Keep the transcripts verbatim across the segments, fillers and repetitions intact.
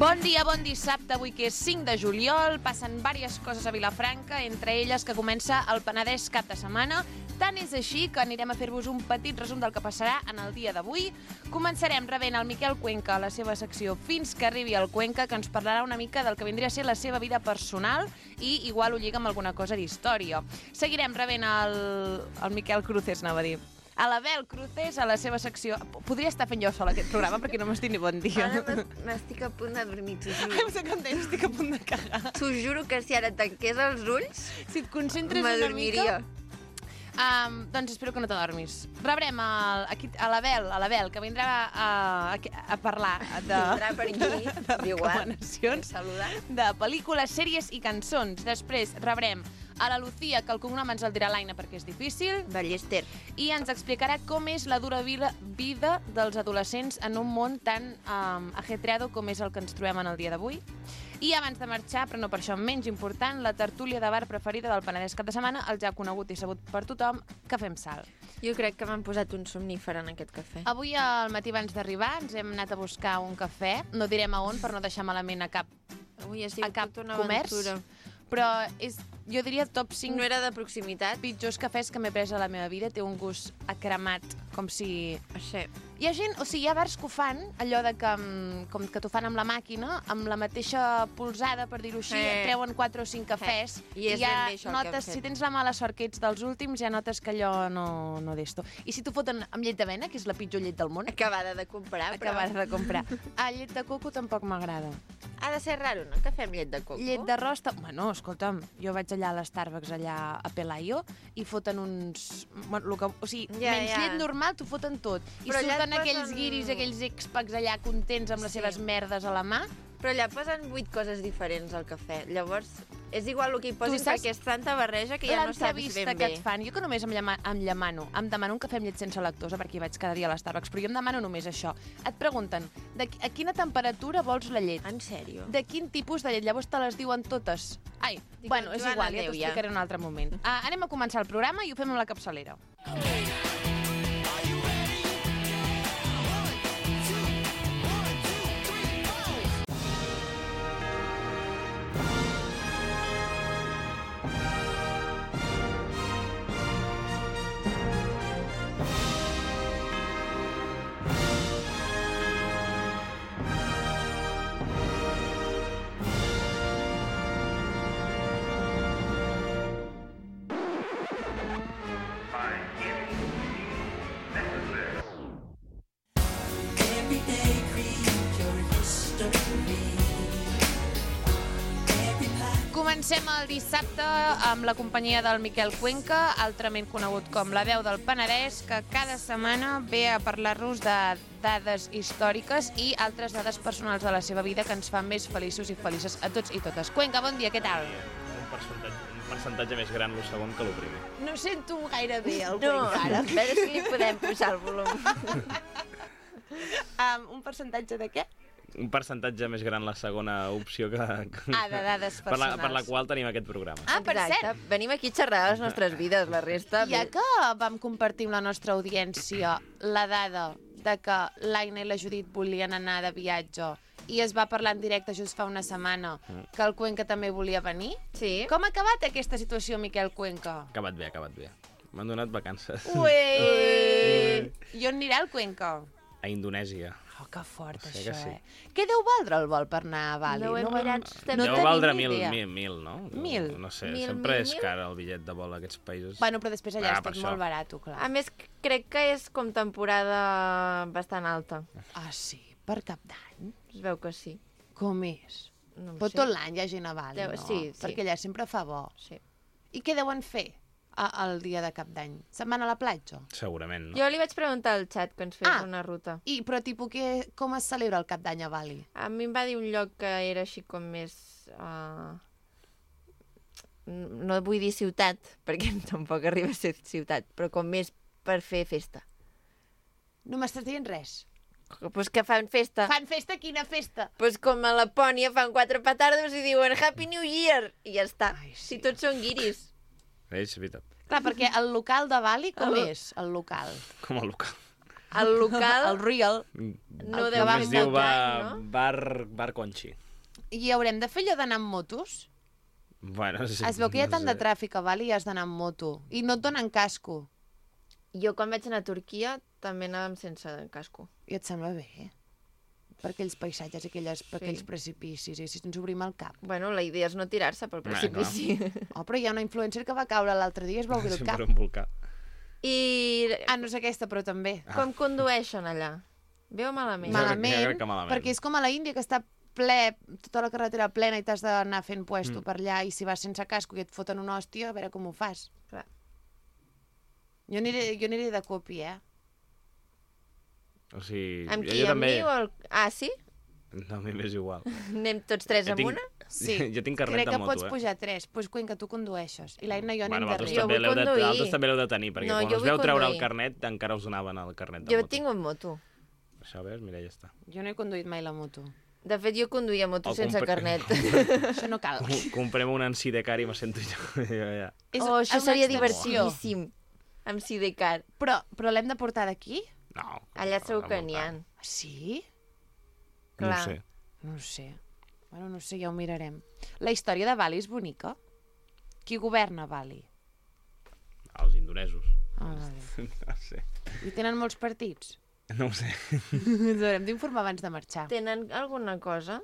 Bon dia, bon dissabte, avui que és cinc de juliol, passen diverses coses a Vilafranca, entre elles que comença el Penedès cap de setmana. Tant és així que anirem a fer-vos un petit resum del que passarà en el dia d'avui. Començarem rebent el Miquel Cuenca a la seva secció Fins que arribi el Cuenca, que ens parlarà una mica del que vindria a ser la seva vida personal i igual ho lliga amb alguna cosa d'història. Seguirem rebent el, el Miquel Cruces, anava a dir. A l'Abel Cruces, a la seva secció... Podria estar fent jo sola aquest programa perquè no m'estic ni bon dia. Ara m'estic a punt de dormir, t'ho juro. Em sap com deia, estic a punt de cagar. T'ho juro que si ara tanqués els ulls, si et concentres una mica... Um, doncs espero que no t'adormis. Rebrem el, aquí, a l'Abel, a l'Abel, que vindrà a, a, a parlar de, vindrà per aquí, de recomanacions de pel·lícules, sèries i cançons. Després rebrem a la Lucía, que el cognom ens el dirà l'Aina perquè és difícil. Ballester. I ens explicarà com és la dura vida, vida dels adolescents en un món tan um, ajetreado com és el que ens trobem en el dia d'avui. I abans de marxar, però no per això menys important, la tertúlia de bar preferida del Penedès cap de setmana, el ja conegut i sabut per tothom, Cafè amb Sal. Jo crec que m'han posat un somnífer en aquest cafè. Avui al matí abans d'arribar ens hem anat a buscar un cafè, no direm a on per no deixar malament a cap, Avui ha a cap una comerç, aventura. però és, jo diria top cinc No era de proximitat? pitjors cafès que m'he pres a la meva vida. Té un gust acremat, com si... Sí. Hi ha gent, o sigui, hi ha bars que ho fan, allò de que, com que t'ho fan amb la màquina, amb la mateixa polsada, per dir-ho així, Eh. treuen quatre o cinc cafès, Eh. I és ja ben bé això el que hem notes, fet. si tens la mala sort que ets dels últims, ja notes que allò no, no d'esto. I si t'ho foten amb llet d'avena, que és la pitjor llet del món, Acabada de comprar, però... acabada de comprar. Ah, llet de coco tampoc m'agrada. Ha de ser raro, no? Cafè amb llet de coco. Llet d'arròs... ta- Bueno, escolta'm, jo vaig allà a l'Starbucks, allà a Pelayo, i foten uns... Bueno, lo que, o sigui, Ja, menys ja. llet normal, t'ho foten tot. I Però allà et surten aquells posen- guiris, aquells expacs allà contents amb les Sí. seves merdes a la mà. Però allà posen vuit coses diferents al cafè. Llavors, és igual el que hi posin saps perquè és tanta barreja que ja no saps L'entrevista ben que bé. et fan, jo que només em, llama, em llamano, em demano un cafè amb llet sense lactosa perquè hi vaig cada dia a l'Starbucks, però jo em demano només això. Et pregunten, de, qui- a quina temperatura vols la llet? En sèrio? De quin tipus de llet? Llavors te les diuen totes. Ai, Dic, bueno, és Joana, igual, ja adéu, t'ho ja. explicaré en un altre moment. Uh, anem a començar el programa i ho fem amb la capçalera. Comencem el dissabte amb la companyia del Miquel Cuenca, altrament conegut com la veu del Penedès, que cada setmana ve a parlar-nos de dades històriques i altres dades personals de la seva vida que ens fan més feliços i felices a tots i totes. Cuenca, bon dia, què tal? Un percentatge, un percentatge més gran el segon que el primer. No sento gaire bé el No, Cuenca ara. a veure si li podem posar el volum. Um, un percentatge de què? Un percentatge més gran la segona opció que... que Ah, de dades per la, personals. per la qual tenim aquest programa. Ah, per Exacte. cert, Venim aquí a xerrar de les nostres vides, la resta... ja que vam compartir amb la nostra audiència la dada de que l'Aina i la Judit volien anar de viatge i es va parlar en directe just fa una setmana que el Cuenca també volia venir, Sí. com ha acabat aquesta situació, Miquel Cuenca? Ha acabat bé, ha acabat bé. M'han donat vacances. Ué! I on anirà el Cuenca? A Indonèsia. Oh, que fort, Sí això, que sí. eh? Què deu valdre el vol per anar a Bali? No ho hem vam- mirat, estem- no Deu tenim valdre ni mil, idea. mil, mil, no? Mil? No sé, Mil, sempre mil, és mil? car el bitllet de vol a aquests països. Bueno, però després allà Ah, és per tot això. molt barat, clar. A més, crec que és com temporada bastant alta. Ah, sí? Per Cap d'Any? Es veu que sí. Com és? No ho Però sé. tot l'any hi ha gent a Bali, Deu- no? sí, sí. Perquè allà sempre fa bo. Sí. I què deuen fer a, el dia de Cap d'Any? Se'n van a la platja? Segurament, no? Jo li vaig preguntar al xat que ens fes Ah. una ruta. I, però tipus, que, com es celebra el Cap d'Any a Bali? A mi em va dir un lloc que era així com més... Uh... No vull dir ciutat, perquè tampoc arriba a ser ciutat, però com més per fer festa. No m'estàs dient res. Pues que fan festa. Fan festa? Quina festa? Pues com a Lapònia fan quatre petardos i diuen Happy New Year! I ja està. Ai, sí. Si tots són guiris. És veritat. Clar, perquè el local de Bali, com El- és, el local? Com el local. El local el Real, no el deu que fer Es vam diu molt Bar, any, no? bar, bar Conchi. i haurem de fer allò d'anar amb motos? Bueno, sí, Es veu que hi ha no tant de sé. tràfic a Bali i has d'anar amb moto. I no et donen casco. Jo quan vaig anar a Turquia també anàvem sense casco. I et sembla bé, eh? Per aquells paisatges i aquelles, per Sí. aquells precipicis, i si ens obrim el cap. Bueno, la idea és no tirar-se pel Ah, precipici. Oh, però hi ha una influencer que va caure l'altre dia i es va obrir el Sempre cap. un volcà. I Ah, no és aquesta, però també. com condueixen allà? Bé o malament? Ma- Jo Malament, crec que malament. perquè és com a la Índia, que està ple, tota la carretera plena i t'has d'anar fent puesto Mm. per allà, i si vas sense casco i et foten una hòstia, a veure com ho fas. Clar. Jo aniré, jo aniré de copi, eh? O sigui, Amb jo, qui? jo Amb també... mi o el... Ah, sí? No, a mi m'és igual. Anem tots tres Jo amb tinc- una? Sí. Jo tinc carnet Crec de que moto, pots eh? pujar tres. Doncs pues, Cuenca, tu condueixes. I l'Aina i jo Bueno, anem vosaltres darrere. Jo també vull l'heu de, conduir. vosaltres també l'heu de tenir, perquè No, quan jo us vull veu treure el conduir. carnet encara us donaven el carnet de Jo moto. tinc un moto. Això, veus? Mira, ja està. Jo no he conduït mai la moto. De fet, jo conduïa moto O sense compre- carnet. Això no cal. Com- Comprem un en Sidecar i me sento jo, jo ja. És Oh, això una seria extensió. divertidíssim. Amb Sidecar. Però, però l'hem de portar d'aquí? No. Allà segur no, que no, n'hi ha. Sí? No ho Clar. sé. No ho sé. Bueno, no ho sé, ja ho mirarem. La història de Bali és bonica? Qui governa Bali? Els indonesos. Ah, vale. No sé. I tenen molts partits? No ho sé. Ens haurem d'informar abans de marxar. Tenen alguna cosa?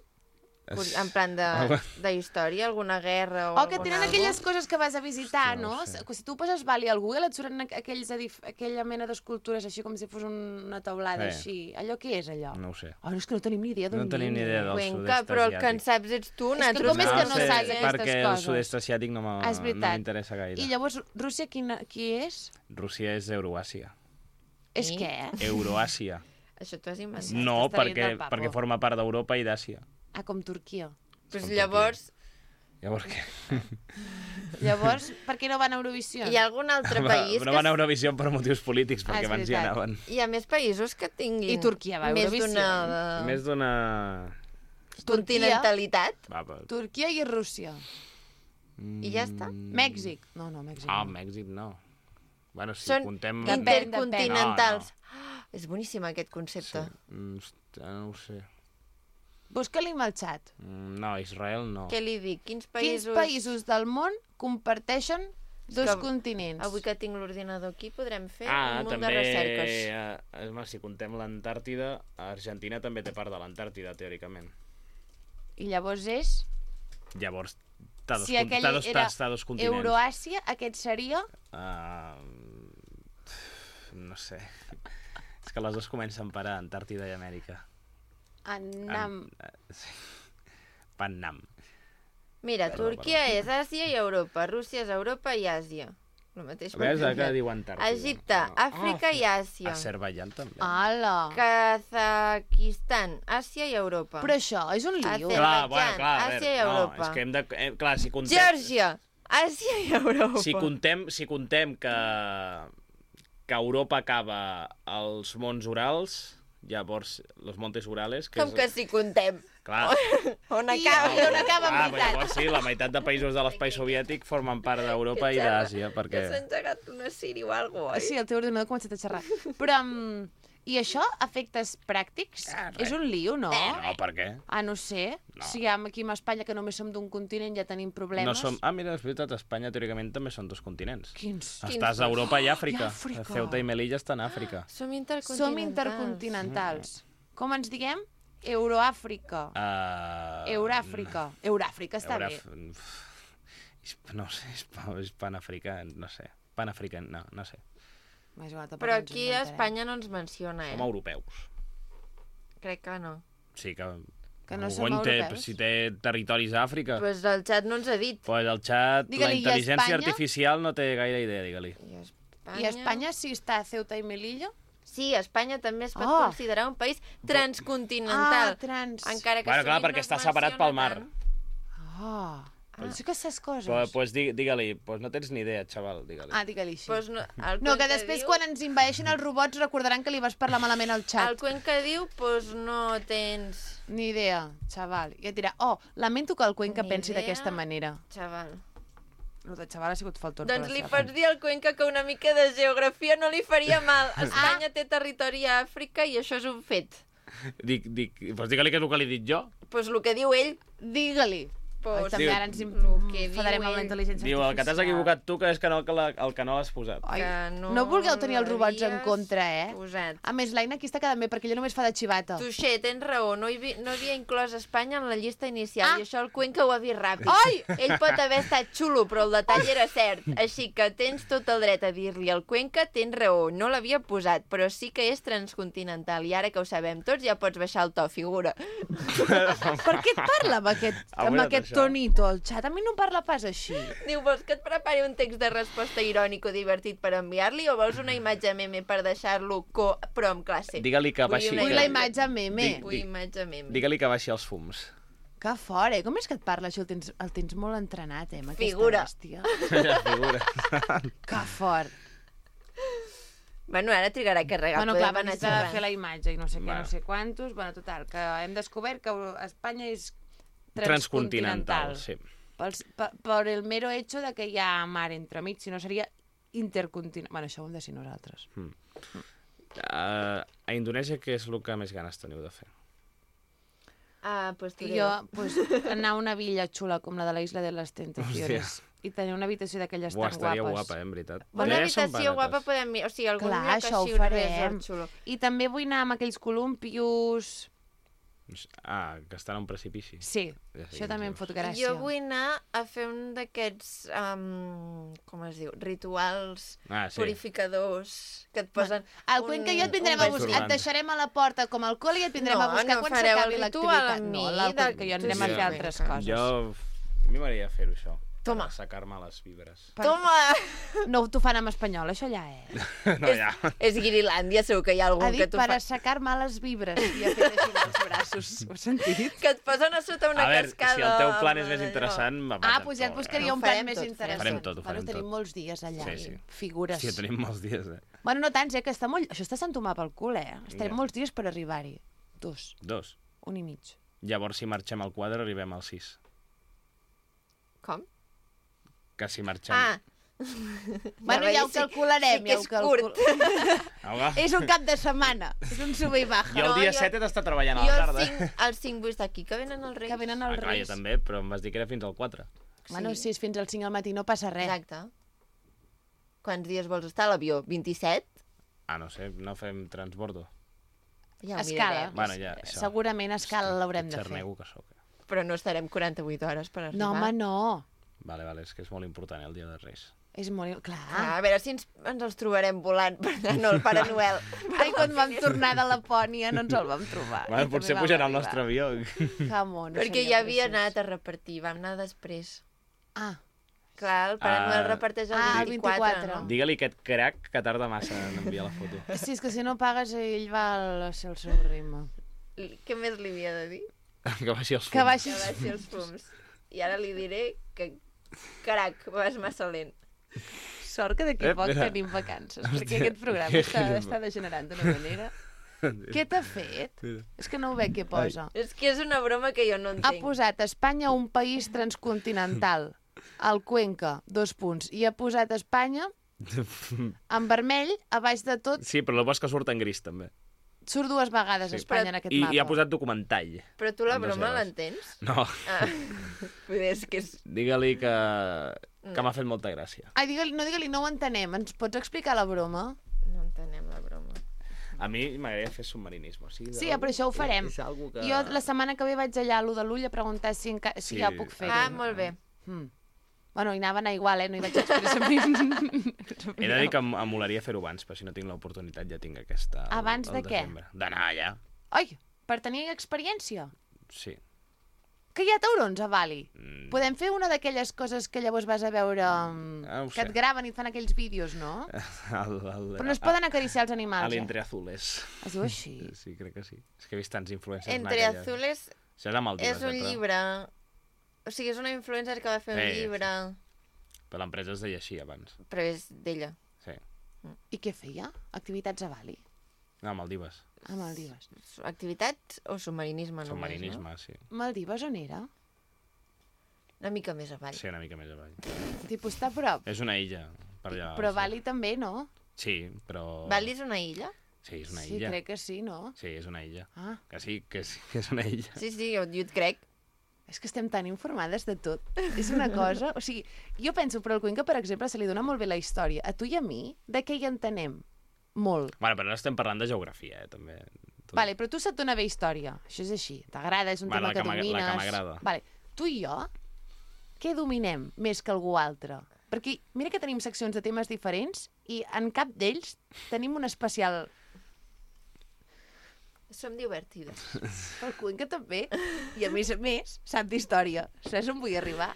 Es- En plan de, Algo- de història? Alguna guerra o O que algun tenen algo? aquelles coses que vas a visitar, Hòstia, no no? ho sé. Que Si tu poses Bali al Google et surten aquells edif aquella mena d'escultures així com si fos una taulada Eh. així. Allò què és, allò? No ho sé. Oh, no, és que no tenim ni idea d'on No tenim ni idea del Cuenca, sud-est però el que en asiàtic. saps ets tu. que nosaltres com és que no sé, saps aquestes perquè el coses? sud-est asiàtic no m'ha- Ah, és no veritat. m'interessa gaire. I llavors, Rússia quina, qui és? Rússia és Euroàsia. És I? què? Euroàsia. Això t'ho has inventat. No, t'està dient perquè, del papo. perquè forma part d'Europa i d'Àsia. Ah, com Turquia. Pues Com llavors, Llavors què? Llavors, per què no van a Eurovisió? hi ha algun altre Va, país no que... van a Eurovisió per motius polítics, Ah, perquè és abans hi veritat. anaven. Hi ha més països que tinguin... I Turquia va a Més Eurovisió. d'una... Més d'una... continentalitat. Va, va. Turquia i Rússia. I ja està. Mm. Mèxic. No, no, Mèxic Ah, no. Mèxic no. Bueno, si Són contem... Depèn, intercontinentals. depèn. Ah, és boníssim aquest concepte. Mm, hosta, no ho sé. Busca-li amb el xat. Mm, No, Israel no. Què li dic? Quins Quins països... països del món comparteixen dos que continents? Avui que tinc l'ordinador aquí podrem fer Ah, un munt també... de recerques. Eh, home, si contem l'Antàrtida, Argentina també té part de l'Antàrtida, teòricament. I llavors és... Llavors, t'ha dos, Si aquell t'ha dos, era t'ha dos continents. Euroàsia, aquest seria... Uh, no sé. És que les dues comencen per a Antàrtida i Amèrica. Annam. An- eh, sí. Pannam. Mira, Perdó, Turquia és Àsia i Europa, Rússia és Europa i Àsia. El mateix A veure, que continent. diu Antàrtida. Egipte, Àfrica i Àsia. Azerbaiyán també. Ala! Kazakistan, Àsia i Europa. Però això és un lío. Azer- Clar, bueno, clar, a Àsia veure, i no, Europa. és que hem de... Eh, clar, si contem... Geòrgia, Àsia i Europa. Si contem, si contem que, que Europa acaba als Monts Urals, llavors, los Montes Urales... Que Com és, que si contem? Clar, On I, acaba? I on acaba en ah, però veritat? llavors sí, la meitat de països de l'espai soviètic formen part d'Europa i d'Àsia, Que perquè... s'ha engegat una Siri o alguna cosa, oi? Sí, el teu ordinador ha començat a xerrar. Però, um, i això, efectes pràctics? Ah, res. És un lío, no? No, per què? Ah, no sé. No. Si ja aquí a Espanya, que només som d'un continent, ja tenim problemes. No som... Ah, mira, és veritat, Espanya teòricament també són dos continents. Quins? Quins Estàs dos? a Europa i I Àfrica. Àfrica. Ceuta i Melilla estan a Àfrica. Som intercontinentals. Som intercontinentals. Com ens diguem? Euroàfrica. Uh... Euràfrica. Euràfrica està Euraf... bé. Hisp- No sé, hisp... és panafricà, no sé. Panafricà, no, no sé. M'és igual, tampoc Però ens aquí a inventarem. Espanya no ens menciona, Com eh? europeus. Crec que no. Sí, que... Que no algú som en té, europeus? si té territoris a Àfrica. Pues el xat no ens ha dit. Pues el xat, Digue-li, la i intel·ligència Espanya? artificial no té gaire idea, digue-li. I Espanya... I a Espanya sí està Ceuta i Melilla? Sí, Espanya també es pot Oh. considerar un país transcontinental. Ah, trans. Encara que Bueno, clar, sovint perquè no es està separat pel mar. menciona Ah, ah. Sí que saps coses. Pues, pues di- digue-li, pues no tens ni idea, xaval, digue-li. Ah, digue-li així. tant. Pues no, el No, que Cuenca després diu, quan ens invadeixin els robots recordaran que li vas parlar malament al El xat. Cuenca diu, pues no tens... Ni idea, xaval. I et dirà, oh, lamento que el Cuenca Ni pensi idea. d'aquesta manera. Xaval. El de xaval ha sigut faltor. Doncs li pots dir al Cuenca que una mica de geografia no li faria mal. Espanya té territori a Àfrica i això és un fet. Dic, dic, doncs digue-li que és el que li he dit jo. Doncs pues el que diu ell. Digue-li. Pues, també diu- ara ens que enfadarem diu amb la ell. intel·ligència Diu, el que t'has artificial. equivocat tu, que és que no, que la, el que no l'has posat. Ai, Que no no vulgueu tenir els robots en l'havies contra, eh? Posat. A més, l'Aina aquí està quedant bé, perquè ella només fa de xivata. Tuixer, tens raó, no, hi vi, no havia inclòs Espanya en la llista inicial Ah. i això el Cuenca ho ha vist ràpid. Ai! Ell pot haver estat xulo, però el detall era cert. Així que tens tot el dret a dir-li al Cuenca, tens raó, no l'havia posat, però sí que és transcontinental i ara que ho sabem tots ja pots baixar el to, figura. Per què et parla amb aquest, amb Avui aquest això. tonito al xat? A mi no em parla pas així. Diu, vols que et prepari un text de resposta irònic o divertit per enviar-li o vols una imatge meme per deixar-lo co però amb classe? Digue-li que Vull baixi... una Vull que- la imatge meme. Dic- Vull imatge meme. Digue-li que baixi els fums. Que fort, eh? Com és que et parla això? El tens, el tens molt entrenat, eh? Amb aquesta Figura. bèstia. Ja figura. Que fort. Bueno, ara trigarà a carregar. Bueno, podem clar, anar necessita de xerrant. fer la imatge i no sé què, Bueno. no sé quantos. Bueno, total, que hem descobert que Espanya és Transcontinental, transcontinental. sí. Pels, per, per el mero hecho de que hi ha mar entremig, si no seria intercontinental. Bueno, això ho hem de ser nosaltres. Uh, a Indonèsia, què és el que més ganes teniu de fer? Ah, pues tu Jo, pues, anar a una villa xula com la de la Isla de les Tentaciones i tenir una habitació d'aquelles Buah, tan estaria guapes. guapa, eh, en veritat. Una Ja són habitació guapa barates. podem mirar. O sigui, algun Clar, lloc això ho així, un farem. resort xulo. I també vull anar amb aquells columpios. Ah, que estan a un precipici. Sí, Ja sé això quins també em dius. fot gràcia. Jo vull anar a fer un d'aquests, um, com es diu, rituals Ah, sí. purificadors que et posen... Al Cuenca i jo et vindrem a un buscar, vestit. et deixarem a la porta com el col i et vindrem No, a buscar no quan fareu s'acabi el ritual l'activitat. amb No, mi, al de- Cuenca i jo anirem a Sí, fer sí. altres coses. Jo... A mi m'agradaria fer-ho, això. Toma. Per assecar-me les vibres. Per- Toma! No t'ho fan en espanyol, això ja, eh? No, ja. És Guirilàndia, segur que hi ha algun Ha que dit t'ho per fa... assecar-me les vibres i ha fet així amb els braços. Ho has sentit? Que et posen a sota una A veure, cascada. si el teu plan és amb més allò. interessant... me'n vaig Ah, amb doncs ja et tot, buscaria Ho un plan farem més tot, interessant. farem tot, ho farem bueno, tenim tot. molts dies allà. Sí, i sí. Figures. Sí, tenim molts dies, eh? Bueno, no tants, eh? Que està molt... Això està Sant Tomà pel cul, eh? Estarem Ja. molts dies per arribar-hi. Dos. Dos. Un i mig. Llavors, si marxem al quadre, arribem al sis. Com? Que si marxem... Ah, Bueno, ja ho sí- calcularem. sí que ja ho és calcul- curt. Auga. És un cap de setmana. És un sube i baja. Jo el No, dia jo- set he d'estar treballant a Jo la el tarda. cinc, el cinc vull estar aquí, que venen els Reis. Que venen Ah, els clar, jo Reis. també, però em vas dir que era fins al quatre. Bueno, Sí. si és fins al cinc al matí no passa res. Exacte. Quants dies vols estar a l'avió? vint-i-set? Ah, no sé, no fem transbordo. Ja ho Escala. mirarem. Bueno, ja, això. Segurament a escala l'haurem de fer. Xernego que sóc. Però no estarem quaranta-vuit hores per arribar. No, home, no. Vale, vale, és que és molt important, eh, el dia de Reis. És molt... Clar. Ah, a veure si ens, ens els trobarem volant per anar al Pare Noel. Ai, quan vam tornar de Lapònia no ens el vam trobar. Bueno, I potser també vam pujarà al arribar. nostre avió. Que mono, Perquè seria ja havia preciós. anat a repartir, vam anar després. Ah, Clar, el Pare Ah, Noel reparteix el ah, el vint-i-quatre, vint-i-quatre. no? Digue-li aquest crac que tarda massa en enviar la foto. sí, és que si no pagues ell va al seu, seu ritme. Li- Què més li havia de dir? Que baixi els fums. Que baixi... Que baixi els fums. I ara li diré que, carac, vas massa lent. Sort que d'aquí Eh, a poc mira. tenim vacances, Hòstia. perquè aquest programa Que- està, està degenerant d'una manera. Què t'ha fet? Mira. És que no ho veig què posa. És que és una broma que jo no Ha entenc. posat Espanya un país transcontinental, el Cuenca, dos punts, i ha posat Espanya en vermell, a baix de tot, Sí, però el bo és que surt en gris, també. surt dues vegades Sí. Espanya en aquest I, mapa. I ha posat documentall. Però tu la Amb dos broma L's. l'entens? No, Ah, vull dir, és que és... digue-li que, que m'ha fet molta gràcia. Ai, digue-li, no digue-li, no ho entenem. Ens pots explicar la broma? No entenem la broma. A mi m'agradaria fer submarinisme. O sigui, Sí, però això ho farem. És algo que... Jo la setmana que ve vaig allà a l'U de l'Ull a preguntar si, enca... si Sí. ja ho puc fer. Ah, molt bé. Mm. Bueno, hi anava a anar igual, eh? No hi vaig expressament. He de dir que em, em molaria fer-ho abans, però si no tinc l'oportunitat ja tinc aquesta... al- Abans al de què? desembre. D'anar allà, Ai, per tenir experiència. sí. Que hi ha taurons a Bali. Mm. Podem fer una d'aquelles coses que llavors vas a veure... um, Ah, ho que sé. et graven i et fan aquells vídeos, no? El, el, Però no es poden acariciar els A animals, eh? l'Entre Azules. Es diu així. Sí, crec que sí. És que he vist tants influencers Entre anar allà. Azules Això és a Maldives, és un eh, però- llibre... O sigui, és una influencer que va fer un Sí, llibre, Però l'empresa es deia així abans. però és d'ella. Sí. I què feia? Activitats a Bali? No, Maldives. A Maldives. Activitats o submarinisme només, Submarinisme, sí. Maldives on era? Una mica més avall. Sí, una mica més avall. Tipus, està a prop. És una illa. Per allà, Però sí. Bali també, no? Sí, però... Bali és una illa? Sí, és una Sí, illa. crec que sí, no? Sí, és una illa. Ah, Que sí, que sí, que és una illa. Sí, sí, jo, jo et crec. és que estem tan informades de tot. És una cosa... O sigui, jo penso, però al Cuenca, per exemple, se li dona molt bé la història. A tu i a mi, de què hi entenem? Molt. Bueno, però ara estem parlant de geografia, eh, també. Tu... Vale, però tu se't dona bé història. Això és així. T'agrada, és un Vale, tema la que que m'ag- la domines. que m'agrada. Vale. Tu i jo, què dominem més que algú altre? Perquè mira que tenim seccions de temes diferents i en cap d'ells tenim un especial... Som divertides. El Cuenca també. I a més a més, sap d'història. Saps on vull arribar?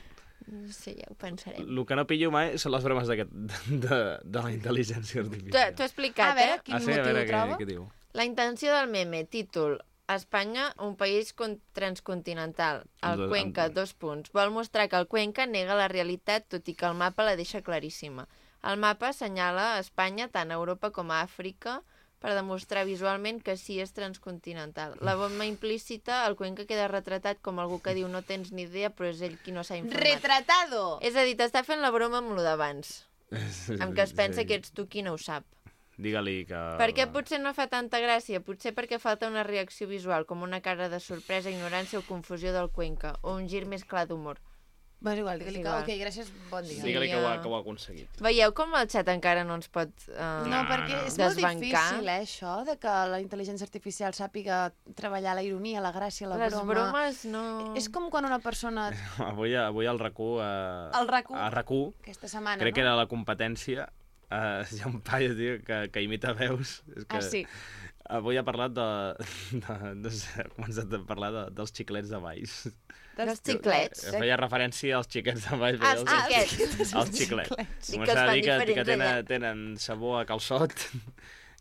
No sé, ja ho pensarem. El que no pillo mai són les bromes d'aquest de, de, de la intel·ligència T'ho artificial. t'ho he explicat, A veure, eh? quin ah, sí, motiu a veure, ho què, troba? què diu? La intenció del meme, títol... Espanya, un país con- transcontinental. El Do- Cuenca, amb- dos punts. Vol mostrar que el Cuenca nega la realitat, tot i que el mapa la deixa claríssima. El mapa assenyala Espanya tant a Europa com a Àfrica per demostrar visualment que sí és transcontinental. La bomba implícita, el Cuenca queda retratat com algú que diu no tens ni idea, però és ell qui no s'ha informat. Retratado! És a dir, t'està fent la broma amb lo d'abans, amb que es pensa que ets tu qui no ho sap. Digue-li que... Per què potser no fa tanta gràcia? Potser perquè falta una reacció visual, com una cara de sorpresa, ignorància o confusió del Cuenca, o un gir més clar d'humor. Va, és igual, digue-li És que... igual. Ok, gràcies, bon dia. Sí. Digue-li que, ho ha, ja. que ho ha aconseguit. Veieu com el xat encara no ens pot uh, No, No, perquè no. és molt desbancar? difícil, eh, això, de que la intel·ligència artificial sàpiga treballar la ironia, la gràcia, la Les broma. bromes no... És com quan una persona... Avui, avui al RAC1... Eh, Al RAC1? A RAC1, Aquesta setmana, crec no? que era la competència, eh, hi ha un paio, tio, que, que imita veus. És que Ah, sí. Avui ha parlat de... de no sé, ha començat a parlar de, dels xiclets de Valls. Dels xiclets? Feia referència als xiquets de Valls. Ah, feia els els- xiquets. Els xiclets. Sí que Començava es a fan dir que, que diferents tenen, allà. tenen sabor a calçot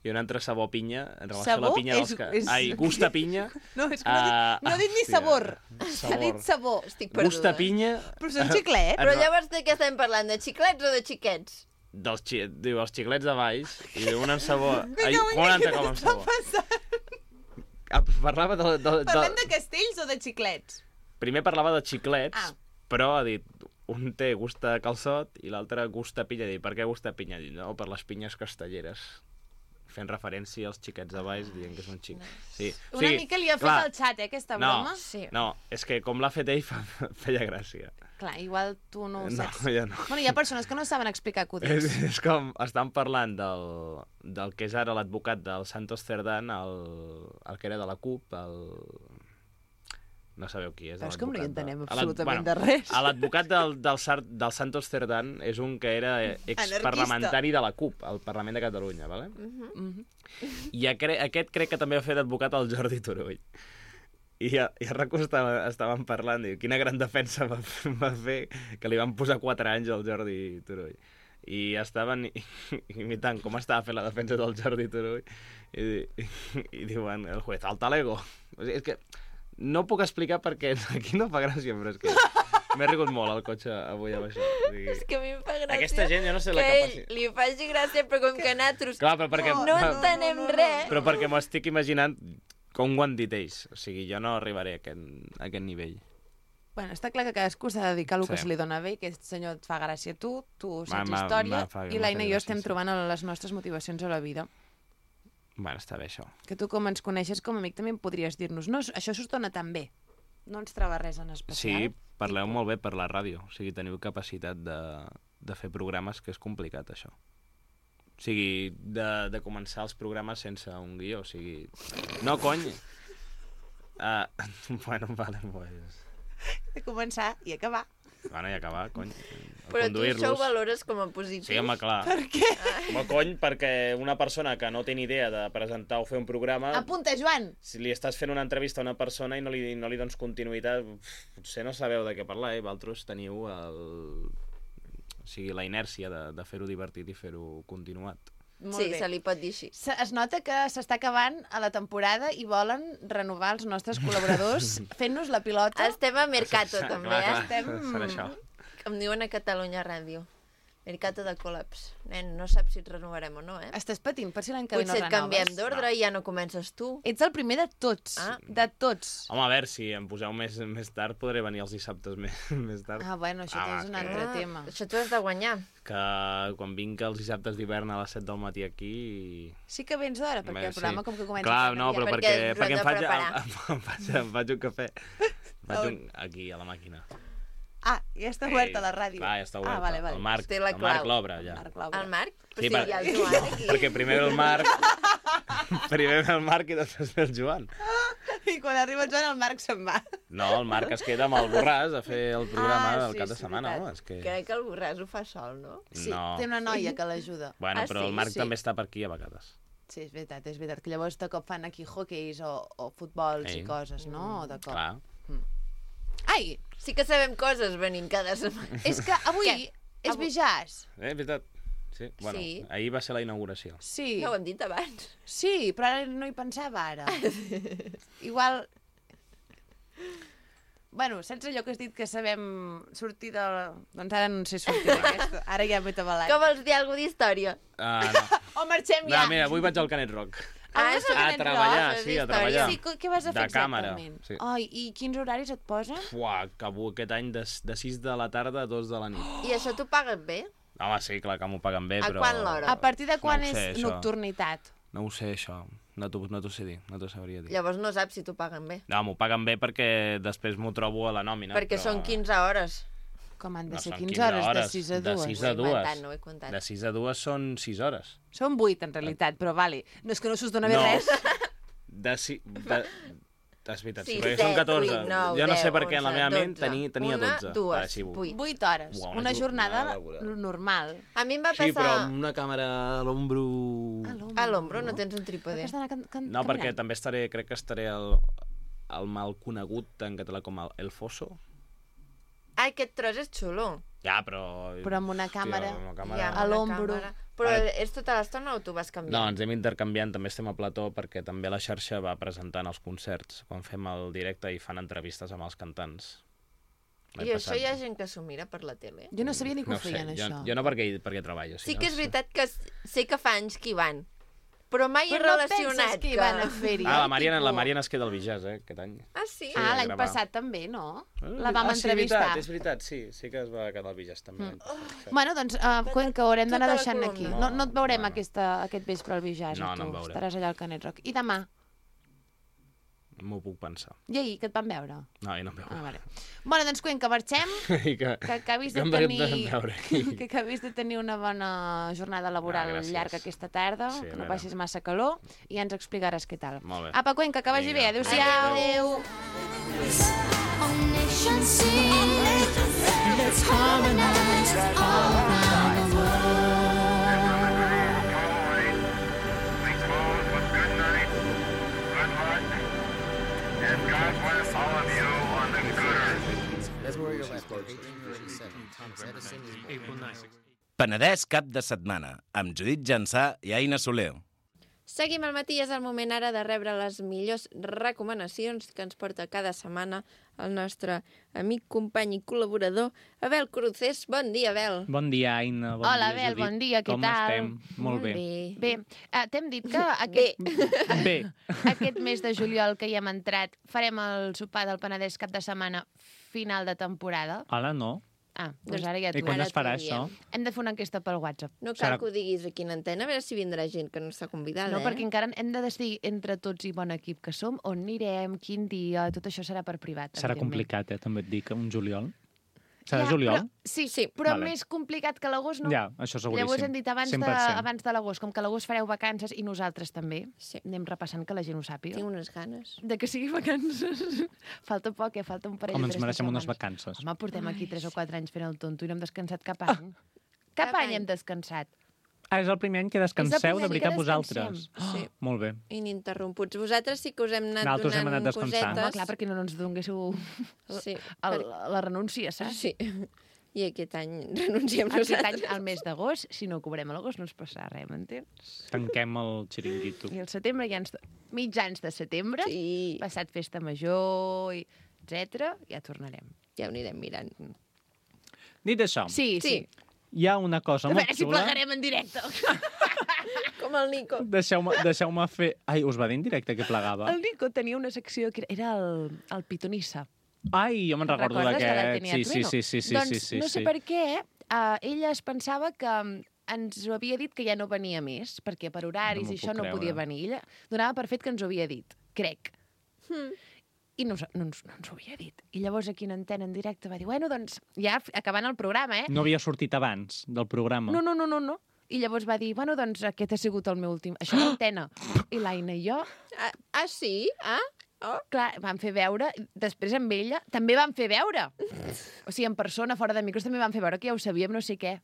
i un altre sabor a pinya, en relació Sabor a la pinya dels és- que... és- Ai, gust a pinya. No, és que no, ha dit, Ah, no ha dit ni hòstia, sabor. sabor. Ha dit sabor. Estic Gust a perduda. pinya Però són xiclets. Però llavors de què estem parlant? De xiclets o de xiquets? dels xi... diu, els xiclets de Valls i diu un amb sabor... Ai, Vinga, un vinga, altre què com amb t'està sabor. passant? Ah, parlava de, de, de... Parlem de castells o de xiclets? Primer parlava de xiclets, Ah. però ha dit un té gust a calçot i l'altre gust a pinya. Dic, per què gust a pinya? Dic, no, per les pinyes castelleres. Fent referència als xiquets de Valls, dient que són xics. Sí. O Una sigui, mica li ha fet clar, el xat, eh, aquesta no, broma. Sí. No, és que com l'ha fet ell fa, feia gràcia. Clar, igual tu no ho No, saps. jo no. Bueno, hi ha persones que no saben explicar És, acudits. és com, estan parlant del, del que és ara l'advocat del Santos Cerdán, el, el que era de la CUP, el... No sabeu qui és. Però és que no hi l'advocat entenem de- absolutament bueno, de res. a L'advocat del, del, Sar, del Santos Cerdán és un que era exparlamentari de la CUP, al Parlament de Catalunya, ¿vale? Mhm. I acre aquest crec que també va fer d'advocat el Jordi Turull. I a, i a RAC1 estava, estaven parlant, diu, quina gran defensa va, fer- va fer, que li van posar quatre anys al Jordi Turull. I estaven i- imitant com estava fent la defensa del Jordi Turull i, i, i diuen, el juez, al talego. O sigui, és que no puc explicar perquè aquí no fa gràcia, però és que m'he rigut molt al cotxe avui amb això. O sigui, És que a mi em fa gràcia aquesta gent, jo no sé que la ell capacitat... li faci gràcia, però com que nosaltres Clar, però perquè... no entenem res. Però perquè m'ho estic imaginant com ho han dit ells. O sigui, jo no arribaré a aquest, a aquest nivell. Bueno, està clar que cadascú s'ha de dedicar al que Sí. se li dona bé, que aquest senyor et fa gràcia a tu, tu Ma- saps ma- història, ma fa- i m'ha l'Aina fet i jo gràcia, estem sí. trobant les nostres motivacions a la vida. Bueno, està bé, això. Que tu, com ens coneixes com a amic, també em podries dir-nos no, això s'us dona tan bé. No ens troba res en especial. Sí, parleu molt bé per la ràdio. O sigui, teniu capacitat de, de fer programes, que és complicat, això. O sigui, de, de començar els programes sense un guió. O sigui, no, cony. Uh, bueno, vale, pues... De començar i acabar. Bueno, i acabar, cony. Però tu això ho Conduir-los. valores com a positiu. Sí, home, clar. Per què? Home, cony, perquè una persona que no té ni idea de presentar o fer un programa... Apunta, Joan! Si li estàs fent una entrevista a una persona i no li, no li dones continuïtat, uf, potser no sabeu de què parlar, eh? Vosaltres teniu el... o sigui, la inèrcia de, de fer-ho divertit i fer-ho continuat. Molt Sí, bé. se li pot dir així. Se- Es nota que s'està acabant a la temporada i volen renovar els nostres col·laboradors fent-nos la pilota. Estem a Mercato, Clar, també, clar, eh? Estem- serà això. Com diuen a Catalunya Ràdio. Mercato de col·laps. Nen, no saps si et renovarem o no, eh? Estàs patint per si l'any que ve no Potser et renoves. canviem d'ordre i ja no comences tu. Ets el primer de tots. Ah. De tots. Home, a veure, si em poseu més, més tard, podré venir els dissabtes més, més tard. Ah, bueno, això Ah, és un va, altre Ah, tema. això t'ho has de guanyar. Que quan vinc els dissabtes d'hivern a les set del matí aquí... Sí que vens d'hora, perquè Bé, el programa sí. com que comença... Clar, tan no, aviat. però Perquè perquè, ens ho perquè hem em, de faig, preparar. em, em, faig, em faig un cafè. Faig un, aquí, a la màquina. Ah, ja està oberta la ràdio. Clar, ja està oberta. Ah, vale, vale. El Marc, Té la el Marc clau. l'obre, ja. Marc l'obre. El Marc? Però Sí, sí, per- hi ha el Joan aquí. Perquè primer ve el Marc... primer ve el Marc i després ve el Joan. I quan arriba el Joan, el Marc se'n va. No, el Marc es queda amb el Borràs a fer el programa Ah, del sí, cap de sí, setmana. veritat. Home, és que... Crec que el Borràs ho fa sol, no? Sí, No. té una noia que l'ajuda. Bueno, Ah, però sí? el Marc Sí. també està per aquí a vegades. Sí, és veritat, és veritat. Que llavors de cop fan aquí hockeys o, o futbols Ei. i coses, no? De cop. Clar. Ai, Sí que sabem coses venint cada setmana. és que avui Què? és Avui- Bijàs. Eh, veritat. Sí, bueno, Sí. ahir va ser la inauguració. Sí, Ja ho hem dit abans. sí, però ara no hi pensava ara. Igual... Bueno, saps allò que has dit que sabem sortir de... Doncs ara no sé sortir d'aquesta. Ara ja m'he tabalat. Que vols dir alguna d'història? Ah, no. O marxem no, ja. mira, avui vaig al Canet Rock. Ah, Ah, vas això- a A Canet treballar, Rock, sí, és a història. treballar. Sí, co- què vas a fer De càmera, exactament? sí. Ai, i quins horaris et posen? Fuà, acabo aquest any de, de sis de la tarda a dos de la nit. I això t'ho paguen bé? Home, sí, clar que m'ho paguen bé, A però... quan l'hora? A partir de quan No ho sé, és això. nocturnitat? No ho sé, això. No t'ho no t'ho sé dir, no t'ho sabria dir. Llavors no saps si t'ho paguen bé. No, m'ho paguen bé perquè després m'ho trobo a la nòmina. Perquè però... són quinze hores. Com han de No, ser són quinze quinze hores, de hores, sis a de dues? sis Ho a he dues. inventat, no ho he comptat. De sis a dues són sis hores. Són vuit, en realitat, però vale. No és que no s'us dona bé No. res. De si... De... És veritat, sí, Sí, perquè set, són catorze. vuit, nou, jo no sé deu, per què en la onze, meva ment dotze. tenia, tenia Una, dotze. dues, Va, així, vuit. Vuit hores. Uau, Una una jornada jornada laboral. normal. A mi em va Sí, però passar... amb una càmera a l'ombro... A l'ombro no tens un trípode. Has d'anar can- can- No, perquè canviant. també estaré, crec que estaré al, al mal conegut en català com el, el Fosso. Ah, aquest tros és xulo. Ja, però... Però amb una càmera. Hòstia, amb una Ja, càmera... A una l'ombro. càmera. Però Ara- és tota l'estona o tu vas canviant? No, ens hem intercanviant, també estem a plató perquè també la xarxa va presentant els concerts. Quan fem el directe i fan entrevistes amb els cantants. L'any I això passat. hi ha gent que s'ho mira per la tele. Jo no sabia ni que No ho ho sé, feien, jo, això. jo no perquè, perquè treballo. Sí no que és sé. veritat que s- sé que fa anys que hi van, però mai he Però no relacionat penses que hi van a fer-hi? Ah, la eh, Mariana, tipus- la Mariana es queda al Bijàs, eh, aquest any. Ah, sí? Ah, a l'any gravar. passat també, no? Ah, La vam ah, sí, entrevistar. És veritat, és veritat, sí, sí que es va quedar al Bijàs també. l'any passat, sí. Bueno, doncs, uh, Cuenca, ho haurem d'anar Tota la deixant aquí. columna. No, no et veurem No, no. aquesta, aquest vespre al Bijàs, No, a tu. no em veurem. Estaràs allà al Canet Rock. I demà? M'ho puc pensar. I ahir, que et van veure? No, i no em veuré. Ah, vale. Bueno, doncs, Cuenca, marxem. I que, Que acabis que de em vam tenir... veure. que acabis de tenir una bona jornada laboral Ah, gràcies. llarga aquesta tarda, Sí, a que no veure. passis massa calor, i ja ens explicaràs què tal. Molt bé. Apa, Cuenca, que vagi Vinga. bé. Adéu-siau. Adéu. Our nation sings. Let's harmonize all around the world. We close with good night, good luck, and God bless all of you on the good earth. That's where you're left there. eighteen forty-seven. Thomas Edison is born. Penedès cap de setmana, amb Judit Jansà i Aina Soler. Seguim al matí, és el moment ara de rebre les millors recomanacions que ens porta cada setmana el nostre amic, company i col·laborador, Abel Cruces. Bon dia, Abel. Bon dia, Aina. Bon Hola, dia, Abel, Judit. bon dia, què Com tal? estem? Molt bé. Bé, uh, t'hem dit que aquest, Bé. aquest mes de juliol que hi hem entrat farem el sopar del Penedès cap de setmana final de temporada. Hola, no. Ah, doncs Doncs ara ja I t'ho quan Ara es farà t'ho això? diem. Hem de fer una enquesta pel WhatsApp. No cal Serà- que ho diguis aquí en antena, a veure si vindrà gent que no està convidada, No, eh? perquè encara hem de decidir entre tots i bon equip que som, on anirem, quin dia, tot això serà per privat. Serà evidentment. complicat, eh, també et dic, un juliol. Serà Ja, juliol? Però, sí, Sí. però Vale. més complicat que l'agost no. Ja, això seguríssim. Llavors hem dit abans de, cent per cent. abans de l'agost, com que a l'agost fareu vacances i nosaltres també. Sí. Anem repassant que la gent ho sàpiga. Tinc unes ganes. De que sigui vacances. Falta poc, eh? Falta un parell Home, o ens tres de mereixem unes setmanes. vacances. Home, portem aquí tres o quatre anys fent el tonto i no hem descansat cap Ah. any. Cap, Cap any any. hem descansat. Ah, és el primer any que És el descanseu, primer de any veritat, que vosaltres. descansem. Sí. Molt bé. Ininterromputs. Vosaltres sí que us hem anat Nosaltres hem donant anat descansant. Home, cosetes. clar, perquè no ens donguéssiu Sí, el, per... la renúncia, saps? sí. I aquest any renunciem Aquest nosaltres. any, al mes d'agost, si no ho cobrem a l'agost, no es passarà res, m'entens? Tanquem el xiringuito. I al setembre ja ens... Mitjans de setembre, Sí, passat festa major, i etcètera, ja tornarem. ja ho anirem mirant. Dit això, Sí, sí. Sí. hi ha una cosa A molt veure si xula. plegarem en directe. Com el Nico. Deixeu-me deixeu fer... Ai, us va dir en directe que plegava? El Nico tenia una secció que era el, el pitonissa. Ai, jo me'n recordo Recordes de la d'aquest. Tenia Sí, sí, Trueno? sí, sí, sí, doncs sí, sí, no sé sí. per què, uh, ella es pensava que mm, ens ho havia dit que ja no venia més, perquè per horaris No m'ho i això puc no creure. podia venir. Ella donava per fet que ens ho havia dit, crec. Hmm. I no, no, ens, no ens ho havia dit. I llavors aquí en antena en directe va dir, bueno, doncs ja f- acabant el programa, eh? No havia sortit abans del programa. No, no, no, no, no. I llavors va dir, bueno, doncs aquest ha sigut el meu últim... Això d'antena. I l'Aina i jo, Ah, ah, sí? Ah? Oh. clar, vam fer veure, després amb ella també vam fer veure. O sigui, en persona, fora de micros, també vam fer veure que ja ho sabíem, no sé què.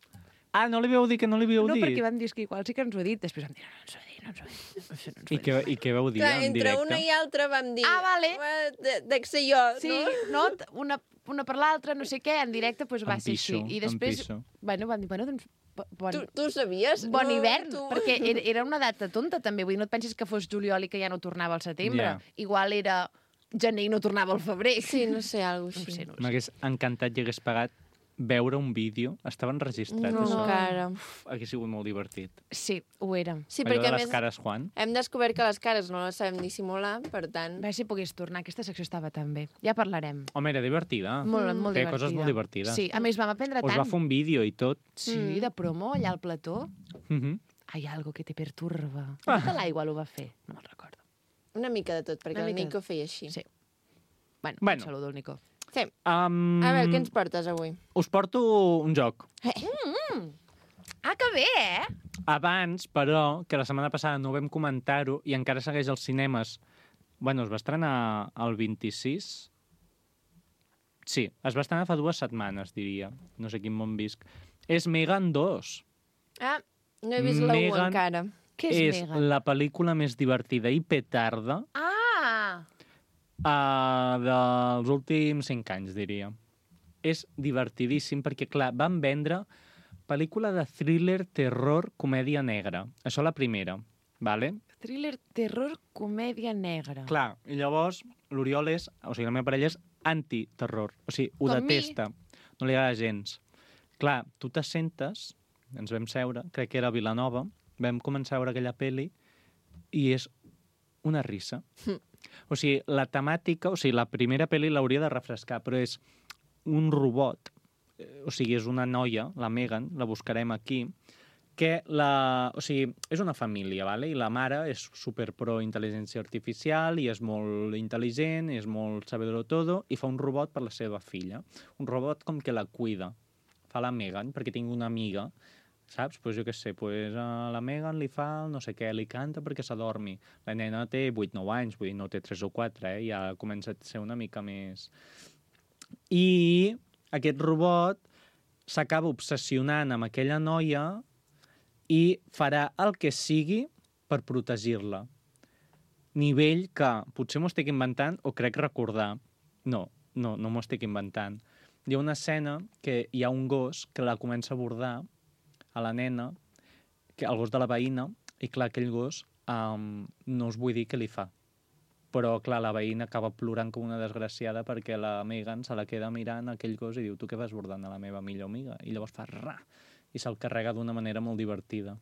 Ah, no li vau dir que no li havíeu No, dit? perquè vam dir que igual sí que ens ho ha dit. Després vam dir, no, no ens ho ha dit, no ens ho ha dit. No, ens ho ha dit. I què, I què vau dir Clar, en entre directe? una i altra vam dir... Ah, vale. "Eh, de- Dec ser jo, Sí, no? no? Una, una per l'altra, no sé què, en directe doncs va Em ser pixo, així. I em després, pixo. bueno, vam dir, bueno, doncs, bo- bon, Tu, tu ho sabies? bon No, hivern, tu... perquè era, era una data tonta també. Vull dir, no et pensis que fos juliol i que ja no tornava al setembre. Ja. Igual era gener i no tornava al febrer. Sí, no sé, alguna No ho cosa sé, així. no ho sé. M'hagués encantat i hagués pagat veure un vídeo. Estava enregistrat, No, això. encara. Uf, hauria sigut molt divertit. Sí, ho era. Sí, Allò perquè de a les més cares Juan. hem descobert que les cares no les sabem dissimular, per tant... A veure si pogués tornar. Aquesta secció estava tan bé. Ja parlarem. Home, era divertida. Molt, molt Té divertida. coses molt divertides. Sí, a més vam aprendre Us tant. va fer un vídeo i tot. Sí, de promo, allà al plató. Mhm. Hay algo que te perturba. Ah. Tota l'aigua ho va fer, no me'n recordo. Una mica de tot, perquè Una el mica de Nico feia així. Sí. Bueno, Bueno. un saludo al Nico. Sí. Um, A veure, què ens portes avui? Us porto un joc. Ah, que bé, eh? Abans, però, que la setmana passada no vam comentar-ho i encara segueix als cinemes. Bueno, es va estrenar el vint-i-sis. Sí, es va estrenar fa dues setmanes, diria. No sé quin món visc. És Megan dos. Ah, no he vist la u Megan- encara. Què és, és Megan? la pel·lícula més divertida i petarda Ah! uh, dels últims cinc anys, diria. És divertidíssim perquè, clar, van vendre pel·lícula de thriller, terror, comèdia negra. Això la primera, vale? Thriller, terror, comèdia negra. Clar, i llavors l'Oriol és, o sigui, la meva parella és anti-terror. O sigui, ho Com mi. detesta. No li agrada gens. Clar, tu t'assentes, ens vam seure, crec que era a Vilanova, vam començar a veure aquella peli i és una risa. O sigui, la temàtica, o sigui, la primera peli l'hauria de refrescar, però és un robot, eh, o sigui, és una noia, la Megan, la buscarem aquí, que la... O sigui, és una família, vale? I la mare és super pro intel·ligència artificial i és molt intel·ligent, és molt sabedor todo, i fa un robot per la seva filla. Un robot com que la cuida. Fa la Megan, perquè tinc una amiga, saps? Pues jo què sé, pues a la Megan li fa no sé què, li canta perquè s'adormi. La nena té vuit nou anys, vull dir, no té tres o quatre, eh? Ja comença a ser una mica més... I aquest robot s'acaba obsessionant amb aquella noia i farà el que sigui per protegir-la. Nivell que potser m'ho estic inventant o crec recordar. No, no, no m'ho estic inventant. Hi ha una escena que hi ha un gos que la comença a bordar a la nena, que el gos de la veïna, i clar, aquell gos um, no us vull dir què li fa. Però, clar, la veïna acaba plorant com una desgraciada perquè la Megan se la queda mirant aquell gos i diu, tu què vas bordant a la meva millor amiga? I llavors fa ra, i se'l carrega d'una manera molt divertida.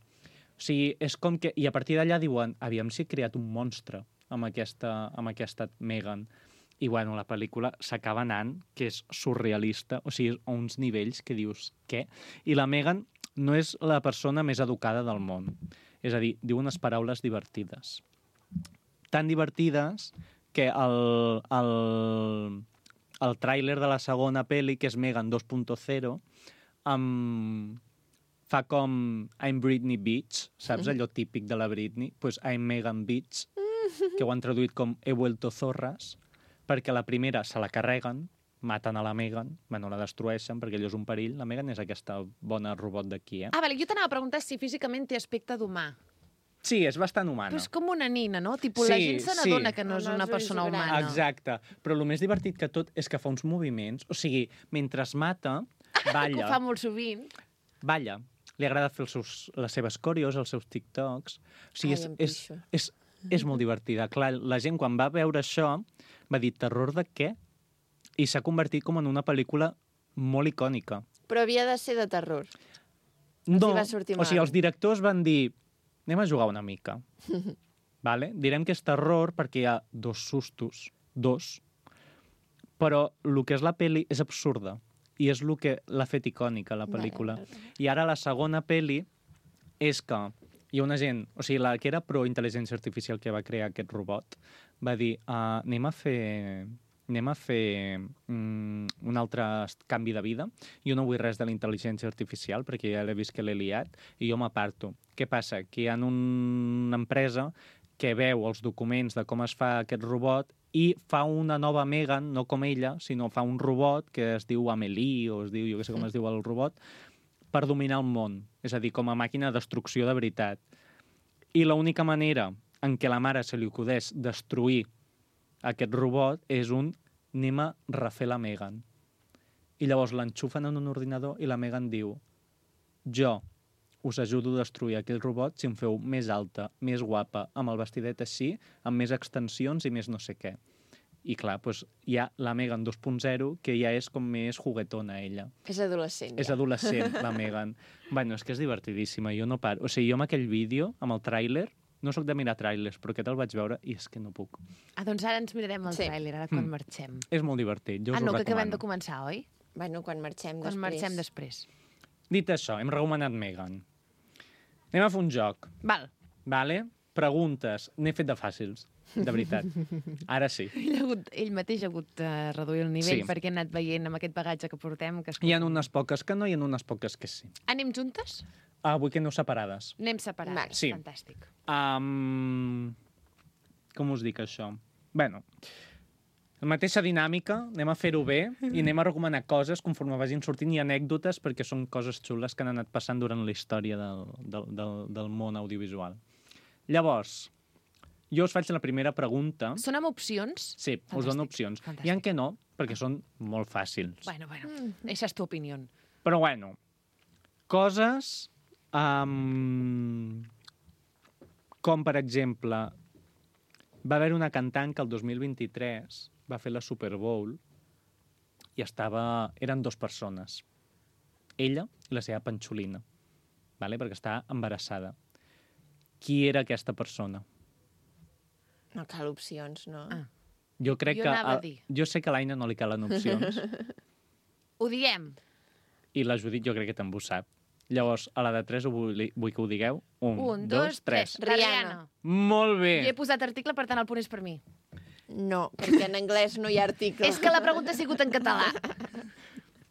O sigui, és com que... I a partir d'allà diuen, aviam si he creat un monstre amb aquesta, amb aquesta Megan. I, bueno, la pel·lícula s'acaba anant, que és surrealista, o sigui, a uns nivells que dius, què? I la Megan no és la persona més educada del món. És a dir, diu unes paraules divertides. Tan divertides que el, el, el tràiler de la segona pel·li, que és Megan dos punt zero, um, fa com I'm Britney Beach, saps? Allò típic de la Britney. Pues I'm Megan Beach, que ho han traduït com He vuelto zorras, perquè la primera se la carreguen, maten a la Megan, bueno, la destrueixen perquè allò és un perill. La Megan és aquesta bona robot d'aquí, eh? Ah, vale, jo t'anava a preguntar si físicament té aspecte d'humà. Sí, és bastant humana. Però és com una nina, no? Tipo, la Sí, gent se sí. n'adona que no és Amb els una ulls persona grans. humana. Exacte. Però el més divertit que tot és que fa uns moviments, o sigui, mentre es mata, Que ho balla, fa molt sovint. balla. Li agrada fer els seus, les seves coreos, els seus TikToks. O sigui, Ai, és, em és, pixo. és, és molt divertida. Clar, la gent quan va veure això va dir, terror de què? I s'ha convertit com en una pel·lícula molt icònica. Però havia de ser de terror. Els No, hi va sortir o sigui, malament. els directors van dir anem a jugar una mica. Vale? Direm que és terror perquè hi ha dos sustos, dos, però el que és la peli és absurda i és el que l'ha fet icònica, la pel·lícula. I ara la segona peli és que hi ha una gent, o sigui, la que era pro-intel·ligència artificial que va crear aquest robot, va dir, uh, anem a fer anem a fer mm, un altre canvi de vida. Jo no vull res de la intel·ligència artificial perquè ja l'he vist que l'he liat i jo m'aparto. Què passa? Que hi ha una empresa que veu els documents de com es fa aquest robot i fa una nova Megan, no com ella, sinó fa un robot que es diu Amelie, o es diu, jo què sé com es diu el robot, per dominar el món. És a dir, com a màquina de destrucció de veritat. I l'única manera en què la mare se li acudeix destruir aquest robot és un anem a refer la Megan. I llavors l'enxufen en un ordinador i la Megan diu jo us ajudo a destruir aquell robot si em feu més alta, més guapa, amb el vestidet així, amb més extensions i més no sé què. I clar, doncs, hi ha la Megan dos punt zero, que ja és com més juguetona, ella. És adolescent, És ja. adolescent, la Megan. Bueno, és que és divertidíssima, jo no paro. O sigui, jo amb aquell vídeo, amb el tràiler, no sóc de mirar tràilers, però aquest el vaig veure i és que no puc. Ah, doncs ara ens mirarem el Sí. tràiler, ara quan Mm. marxem. És molt divertit, jo us Ah, no, ho que acabem de recomano. començar, oi? Bueno, quan marxem Quan després. marxem després. Dit això, hem recomanat Megan. Anem a fer un joc, Val. vale? Preguntes. N'he fet de fàcils, de veritat. Ara sí. Ell, ha hagut, ell mateix ha hagut de reduir el nivell Sí. perquè ha anat veient amb aquest bagatge que portem. Que Hi ha unes poques que no, hi ha unes poques que sí. Anem juntes? Ah, vull que aneu separades. Anem separades. Vale. Sí. Fantàstic. Um, com us dic, això? Bueno, la mateixa dinàmica, anem a fer-ho bé i anem a recomanar coses conforme vagin sortint i anècdotes perquè són coses xules que han anat passant durant la història del, del, del, del món audiovisual. Llavors, jo us faig la primera pregunta. Són amb opcions? Sí, us Fantàstic, dono opcions. fantàstic. Hi ha que no, perquè són molt fàcils. Bueno, bueno, esa és tu opinió. Però bueno, coses um, com, per exemple, va haver una cantant que el dos mil vint-i-tres va fer la Super Bowl i estava... eren dues persones. Ella i la seva panxolina, vale? Perquè estava embarassada. Qui era aquesta persona? No cal opcions, no? Ah. Jo crec Jo que... anava a a- dir. Jo sé que a l'Aina no li calen opcions Ho diem. i la Judit jo crec que també ho sap. Llavors, a la de tres ho vull, vull que ho digueu. Un, Un, dos, tres. La Rihanna. Molt bé. Jo he posat article, per tant el punt és per mi. No, perquè en anglès no hi ha article. És que la pregunta ha sigut en català.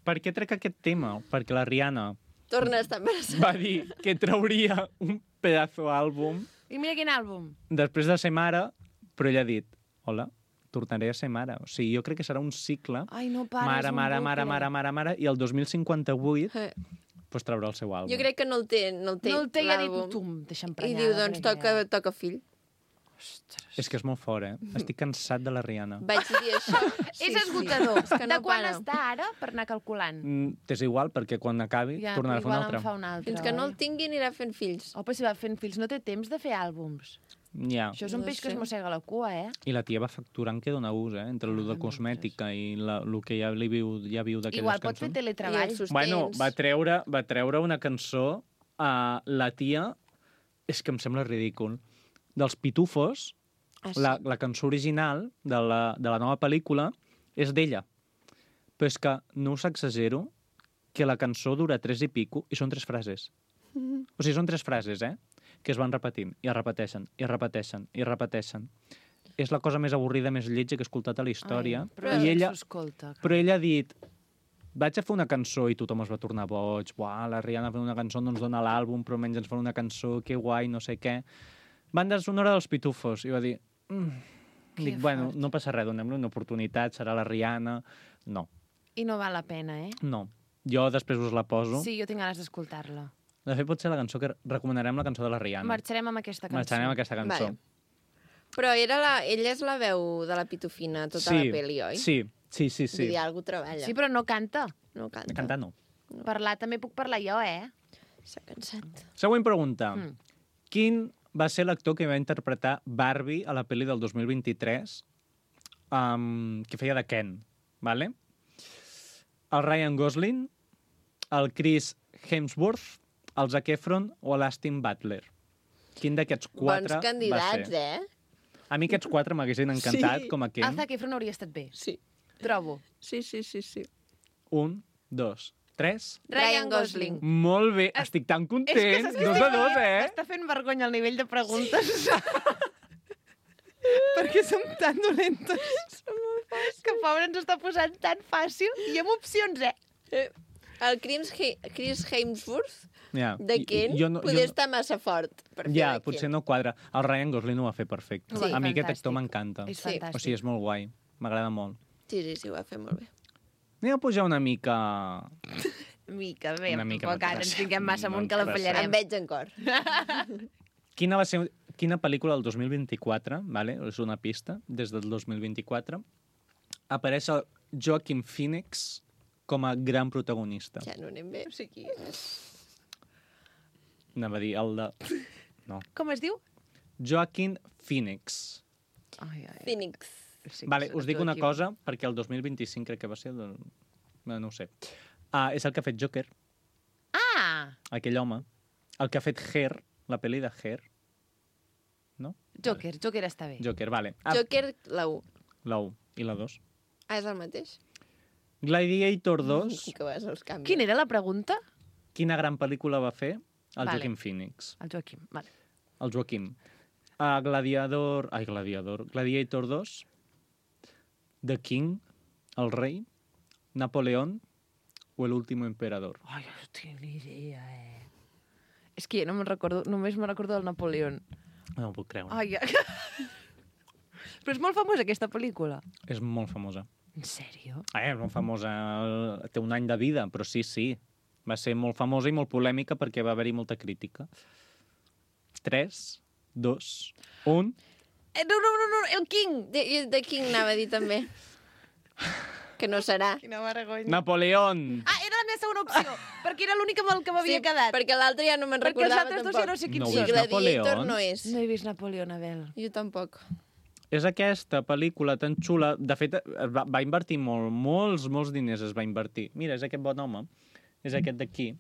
Per què trec aquest tema? Perquè la Rihanna Torna a estar embarassada. va dir que trauria un pedazo àlbum I mira quin àlbum. després de ser mare, però ella ha dit, hola, tornaré a ser mare. O sigui, jo crec que serà un cicle, Ai, no pares, mare, un mare, bucle. mare, mare, mare, mare, i el dos mil cinquanta-vuit Eh, pues, traurà el seu àlbum. Jo crec que no el té, no el té, No el té i ha dit, l'àlbum. tu, em deixa'm I prenyar. diu, doncs toca, toca fill. És que és molt fort, eh? Estic cansat de la Rihanna. Vaig dir això. És esgotador. És que no de quan para. està ara, per anar calculant? Mm, T'és igual, perquè quan acabi Ja, tornarà a fer un igual altre. en fa un altre. Fins que no oi? el tingui anirà fent fills. Oh, però si va fent fills no té temps de fer àlbums. Ja. Això és un No peix que sé. es mossega la cua, eh? I la tia va facturant que dona ús, eh? Entre el de Ah, cosmètica i la, el que ja, li viu, ja viu d'aquelles Igual pot fer cançons. I teletreball. els sostens. Bueno, va treure, va treure una cançó a la tia, és que em sembla ridícul, dels Pitufos, Ah, sí? la, la cançó original de la, de la nova pel·lícula és d'ella. Però és que no us exagero que la cançó dura tres i pico i són tres frases. O sigui, són tres frases, eh? Que es van repetint, i es repeteixen, i es repeteixen, i es repeteixen. És la cosa més avorrida, més lletja que he escoltat a la història. Ai, però I ella, s'escolta. però ella ha dit, vaig a fer una cançó i tothom es va tornar boig. Buah, la Rihanna fent una cançó no ens dona l'àlbum, però menys ens fa una cançó, que guai, no sé què. Banda sonora dels Pitufos. I va dir, mm. dic, bueno, no passa res, donem-li una oportunitat, serà la Rihanna. No, I no val la pena, eh? no. Jo després us la poso. Sí, jo tinc ganes d'escoltar-la. De fet, pot ser la cançó que recomanarem, la cançó de la Rihanna. Marxarem amb aquesta cançó. Marxarem amb aquesta cançó. Vale. Però era la, ella és la veu de la Pitufina tota sí, la peli, oi? Sí, sí, sí. Vull sí. dir, algú treballa. Sí, però no canta. No canta. Cantar no. Parlar també puc parlar jo, eh? S'ha cansat. Següent pregunta. Mm. Quin va ser l'actor que va interpretar Barbie a la pel·li del dos mil vint-i-tres, um, que feia de Ken, vale? El Ryan Gosling, el Chris Hemsworth el Zac Efron o l'Astin Butler? Quin d'aquests quatre Bons candidats, va ser? eh? A mi aquests quatre m'haguessin encantat Sí. com a El Ken. Zac Efron hauria estat bé. Sí. Trobo. Sí, sí, sí, sí. Un, dos, tres... Ryan Gosling. Molt bé, estic tan content. És que saps què Dos a dos, eh? M'està fent vergonya el nivell de preguntes. Perquè som tan dolentes. Que pobre ens està posant tan fàcil. I amb opcions, eh? Eh, El Chris, He Chris Hemsworth Ja. de I- Ken jo no- poder jo- estar massa fort per fer Ja, de potser Ken. no quadra. El Ryan Gosling ho va fer perfecte. Sí. A mi aquest Fantàstic. actor m'encanta. És Sí. fantàstic. O sigui, és molt guai. M'agrada molt. Sí, sí, sí, ho va fer molt bé. Anem a pujar una mica... Mica, bé, Una mica tampoc no ara ens passa. fiquem massa No amunt que la passa. fallarem. Em veig en cor. Quina va ser... Quina pel·lícula del dos mil vint-i-quatre, vale? És una pista, des del dos mil vint-i-quatre, apareix el Joaquin Phoenix com a gran protagonista. Ja no anem bé. No sé qui és. Anava a dir el de... No. Com es diu? Joaquin Phoenix. Ai, ai. Phoenix. Sí, Vale, que us es dic diu una aquí. cosa, perquè el dos mil vint-i-cinc crec que va ser... El... del- No, no ho sé. Uh, és el que ha fet Joker, Ah! aquell home. El que ha fet Hair, la pel·li de Hair. No? Joker, Joker està bé. Joker, vale. Ah, Joker, la u. la u i la dos. Ah, és el mateix? Gladiator dos, Que vas els canvis. Quina era la pregunta? quina gran pel·lícula va fer? El Vale. Joaquin Phoenix. El Joaquim, vale. El Joaquim. Uh, Gladiador... Ai, Gladiador. Gladiator dos. The King, el rei. Napoleón o el último emperador. Ai, no tinc ni idea, eh? És que no me'n recordo, només me'n recordo del Napoleón. No ho puc creure. Ai, però és molt famosa aquesta pel·lícula. És molt famosa. En sèrio? Eh, és molt famosa. el- Té un any de vida, però sí, sí. Va ser molt famosa i molt polèmica perquè va haver-hi molta crítica. tres, dos, un... Eh, no, no, no, no, el King! De, de King anava a dir també. Que no serà. Quina vergonya. Napoleón! Ah, era la meva segona opció, perquè era l'única amb el que m'havia quedat. perquè l'altre ja no me'n Perquè els recordava altres dos tampoc. ja no sé quins No I veus són. Gladiator Napoleón? no és. No he vist Napoleón, Abel. Jo tampoc. És aquesta pel·lícula tan xula. De fet, es va, va invertir molt, molts, molts diners es va invertir. Mira, és aquest bon home. És aquest d'aquí.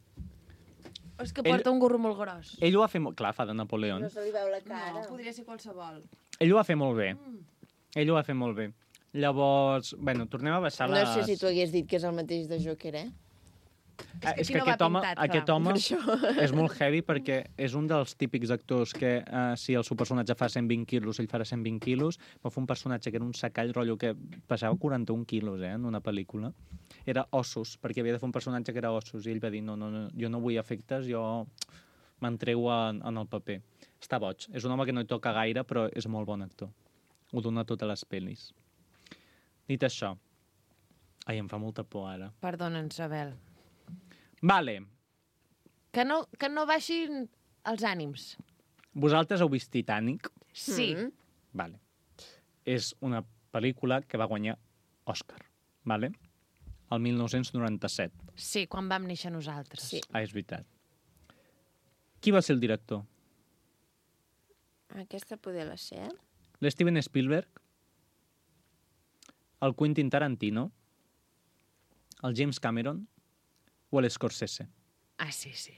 És que Ell- porta un gorro molt gros. Ell ho va fer molt... Clar, fa de Napoleón. No se li veu la cara. No, podria ser qualsevol. Ell ho va fer molt bé. Ell ho va fer molt bé. Llavors, bueno, tornem a baixar No les... sé si tu hagués dit que és el mateix de Joker, eh? Ah, que és aquí que no va aquest home, pintat, aquest clar. home Per això. és molt heavy perquè és un dels típics actors que uh, si el seu personatge fa cent vint quilos, ell farà cent vint quilos, va fer un personatge que era un sacall, rotllo, que pesava quaranta-un quilos, eh, en una pel·lícula. Era ossos, perquè havia de fer un personatge que era ossos, i ell va dir, no, no, no jo no vull efectes, jo m'entrego en, en el paper. Està boig. És un home que no hi toca gaire, però és molt bon actor. Ho dona a totes les pel·lis. Dit això, ai, em fa molta por ara. Perdona'ns, Abel. Vale, Que no, que no baixin els ànims. vosaltres heu vist Titanic? Sí. Mm. Vale. És una pel·lícula que va guanyar Òscar, vale? El mil nou-cents noranta-set. Sí, quan vam néixer nosaltres. Sí. Ah, és veritat. Qui va ser el director? Aquesta poder la ser, eh? L'Steven Spielberg? El Quentin Tarantino? El James Cameron? O l'Scorsese? Ah, sí, sí.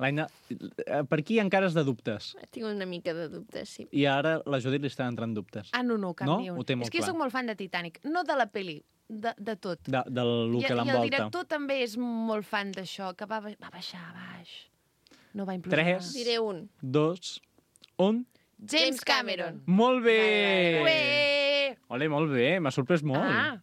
L'Aina... eh, Per aquí encara és de dubtes. Tinc una mica de dubte, sí. I ara la Judit li està entrant dubtes. Ah, no, no, cap No? ni un. Ho té molt És que jo clar. soc molt fan de Titanic. No de la peli, de, de tot. De, del lo I, que I el l'envolta. director també és molt fan d'això, que va, ba- va baixar a baix. No va implosionar. Tres. Diré un. Dos, un... James Cameron. Molt bé! Ué! Ole, molt bé, m'ha sorprès molt. Ah,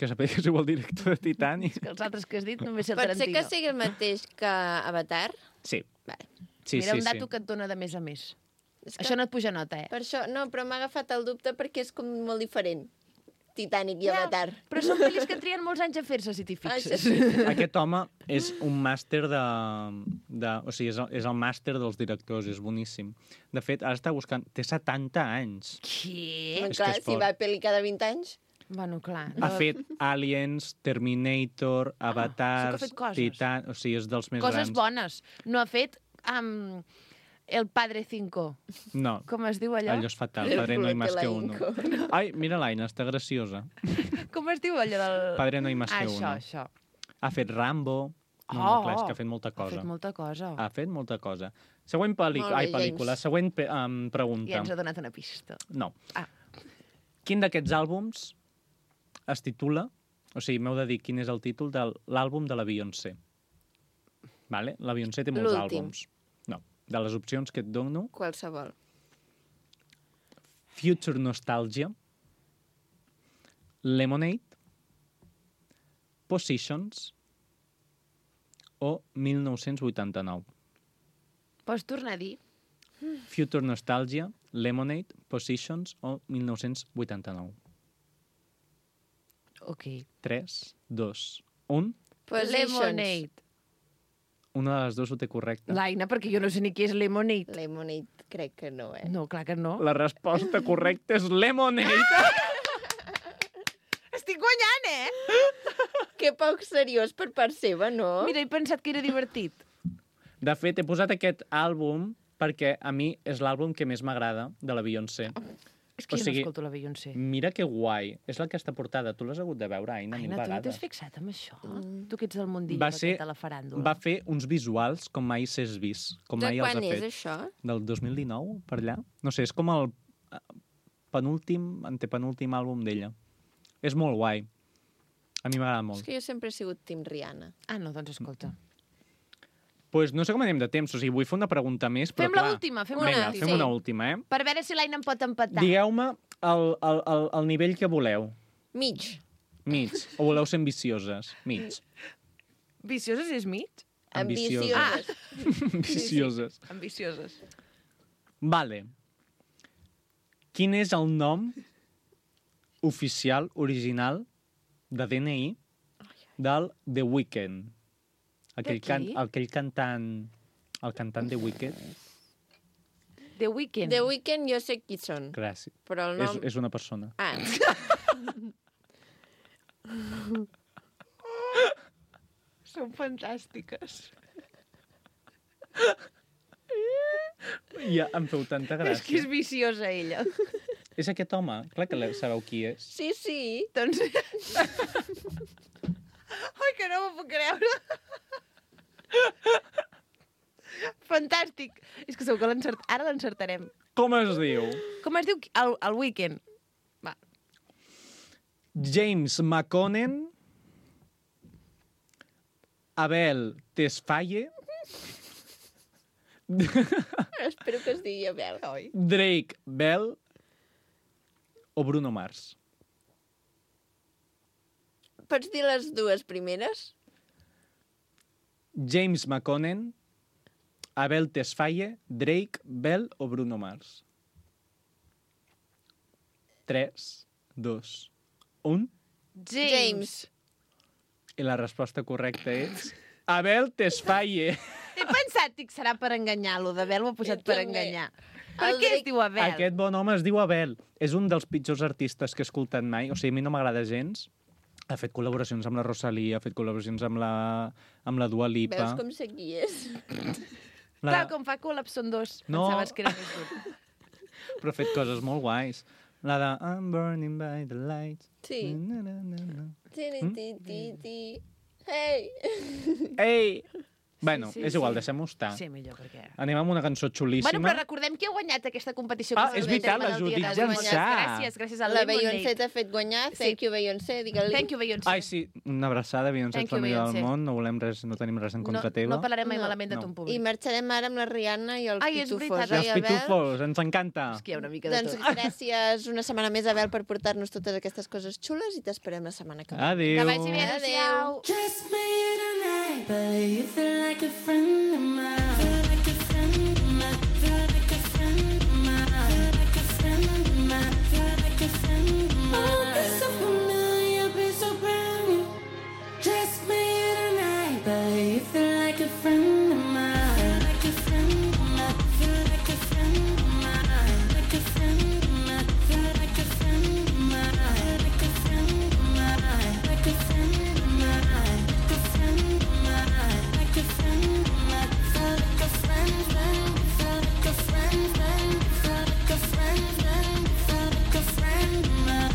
Que sapigués que és el director de Titanic. que els altres que has dit només sé el Pot ser Tarantino. que sigui el mateix que Avatar? Sí. Vale. Sí, Mira, sí, un dato sí. que et dona de més a més. És que Això no et puja nota, eh? Per això, no, però m'ha agafat el dubte perquè és com molt diferent. Titanic i Ja, Avatar. Però són pel·lis que trien molts anys a fer-se, si t'hi Ah, fixes. això sí. Aquest home és un màster de... de o sigui, és el, és el màster dels directors, és boníssim. De fet, ara està buscant... Té setanta anys. Què? Doncs És que clar, és si fort. va a pel·li cada vint anys... Bueno, clar. Ha fet Aliens, Terminator, Avatar, sí que ha fet coses. Titan... O sigui, és dels més Coses grans. bones. No ha fet um, El Padre Cinco. No, Com es diu allò? allò és fatal. El Padre no hay más que Flotelainco. uno. Ai, mira l'Aina, està graciosa. Com es diu allò del... Padre no hay más ah, que això, uno. això. Ha fet Rambo, No, no, clar, és que ha fet molta Ha cosa. fet molta cosa. Ha fet molta cosa. Següent pel·lícula. Molt bé, Ai, pel·lícula. James. Següent pe- um, pregunta. Ja ens ha donat una pista. No. Ah. Quin d'aquests àlbums es titula... O sigui, m'heu de dir quin és el títol de l'àlbum de la Beyoncé. Vale? La Beyoncé té molts L'últim. àlbums. No. De les opcions que et dono, Qualsevol. Future Nostalgia, Lemonade, Positions o mil nou-cents vuitanta-nou. Pots tornar a dir? Future Nostalgia, Lemonade, Positions o mil nou-cents vuitanta-nou. Ok. tres, dos, un. Positions. Lemonade. Una de les dues ho té correcte. L'Aina, perquè jo no sé ni què és Lemonade. Lemonade, crec que no, eh? No, clar que no. La resposta correcta és Lemonade. Estic guanyant, eh? Que poc seriós per part seva, no? Mira, he pensat que era divertit. De fet, he posat aquest àlbum perquè a mi és l'àlbum que més m'agrada de la Beyoncé. És que O jo sigui, no escolto la Beyoncé. Mira que guai. És l'Aquesta portada. Tu l'has hagut de veure, Aina, mil Aina, tu no vegades. t'has fixat en això? Mm. Tu que ets del mundillo Va aquest ser, de la faràndula. va fer uns visuals com mai s'és vist. Com De mai els quan ha és fet. això? Del dos mil dinou, per allà. No sé, és com el eh, penúltim, antepenúltim àlbum d'ella. És molt guai. A mi m'agrada És molt. que jo sempre he sigut Tim Rihanna. Ah, no, doncs escolta. Pues no sé com anem de temps, o sigui, vull fer una pregunta més, però Fem clar... l'última, fem una, Vinga, l'última. fem sí. una última, eh? Per veure si l'Aina em pot empatar. Digueu-me el, el, el, el nivell que voleu. Mig. Mig. O voleu ser ambicioses? Mig. Vicioses és mig? Ambicioses. Ambicioses. Ambicioses. Ambicioses. Vale. Quin és el nom oficial, original, de D N I del The Weeknd? Aquell, De can, qui? aquell cantant... El cantant The Weeknd. The Weeknd. The Weeknd jo sé qui són, Gràcies. però el És, nom... és una persona. Ah, Són fantàstiques. Ja em feu tanta gràcia. És que és viciosa, ella. És aquest home? Clar que le- sabeu qui és. sí, sí. Doncs... Ai, que no m'ho puc creure. Fantàstic. És que segur que l'encert... ara l'encertarem. Com es diu? Com es diu el, el Weekend? Va. James McConnell, Abel Tesfaye, Espero que es digui Abel. Drake Bell o Bruno Mars. Pots dir les dues primeres? James McConnell, Abel Tesfaye, Drake Bell o Bruno Mars. tres, dos, un. James. I la resposta correcta és Abel Tesfaye. He pensat, dic, serà per enganyar. Lo d'Abel ho ha posat Jo per també. enganyar. Per El què es Drake- diu Abel? Aquest bon home es diu Abel. És un dels pitjors artistes que he escoltat mai. O sigui, a mi no m'agrada gens. Ha fet col·laboracions amb la Rosalía, ha fet col·laboracions amb la, amb la Dua Lipa. Veus com sé qui és? La... Clar, com fa col·laps són dos. No. Pensaves que era més dur. Però ha fet coses molt guais. La de I'm burning by the light. Sí. Na, na, na, na. Ti, ti, ti, ti. Hey! Ei! Bueno, sí, és igual, sí. deixem-ho estar. Sí, millor, perquè... Anem amb una cançó xulíssima. Bueno, però recordem qui ha guanyat aquesta competició. Ah, que és s'ha veritat, fet la el dia Judit d'avui. Jansà. Gràcies, gràcies a La Lemonade. Beyoncé t'ha fet guanyar. Thank you, Beyoncé. Digue-li. Thank you, Beyoncé. Ai, sí, una abraçada, Beyoncé, Thank ets la you, millor del Beyoncé. món, no volem res, no tenim res en contra no, teva. No parlarem mai No. malament de No. tu en I públic. marxarem ara amb la Rihanna i els Ai, és pitufos. veritat, I els oi, Abel? pitufos, ens encanta. És que hi ha una mica de Doncs tot. gràcies una setmana més, Abel, per portar-nos totes aquestes coses xules i t'esperem la setmana que ve. Adéu. Que vagi bé, Adéu. adéu. Just me tonight, but you feel like a friend of mine. Feel like a friend of mine. Feel like a friend of mine. Feel like a friend of mine. Feel like a friend of mine. Oh, be so familiar, be so brand new. Just me tonight, but you feel like a friend of mine. Feel like a friend of mine. Feel like a friend of mine. Like a friend of mine. Feel like a friend of mine. Like a friend of mine. Like a friend of mine. Like a friend of mine. Like a friend of mine. Feel like a friend, friend. Feel like a friend, friend. Feel like a friend, friend. Feel like a friend of mine.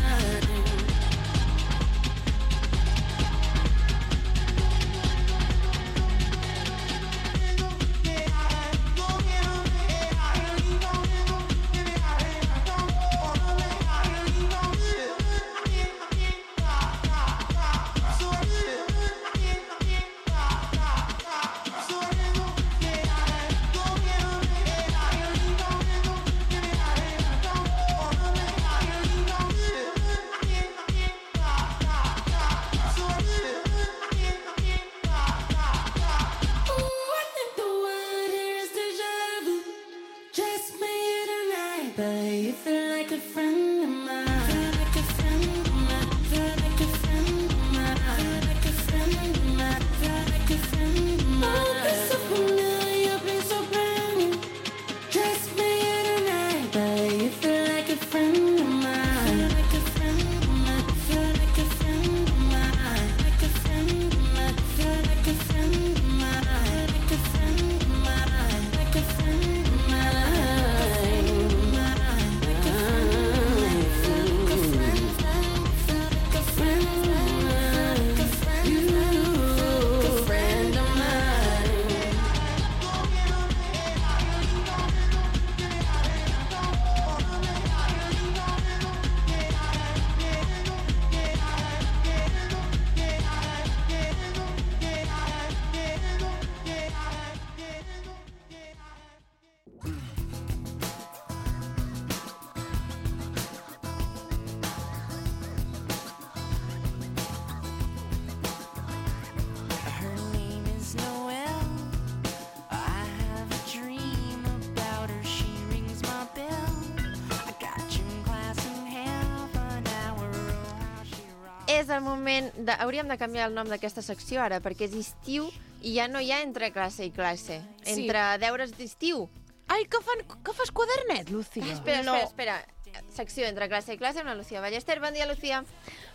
és el moment... De... Hauríem de canviar el nom d'aquesta secció ara, perquè és estiu i ja no hi ha entre classe i classe. Sí. Entre deures d'estiu. Ai, que, fan, que fas quadernet, Lucía? Espera, No. espera, espera. Secció entre classe i classe amb la Lucía Ballester. Bon dia, Lucía.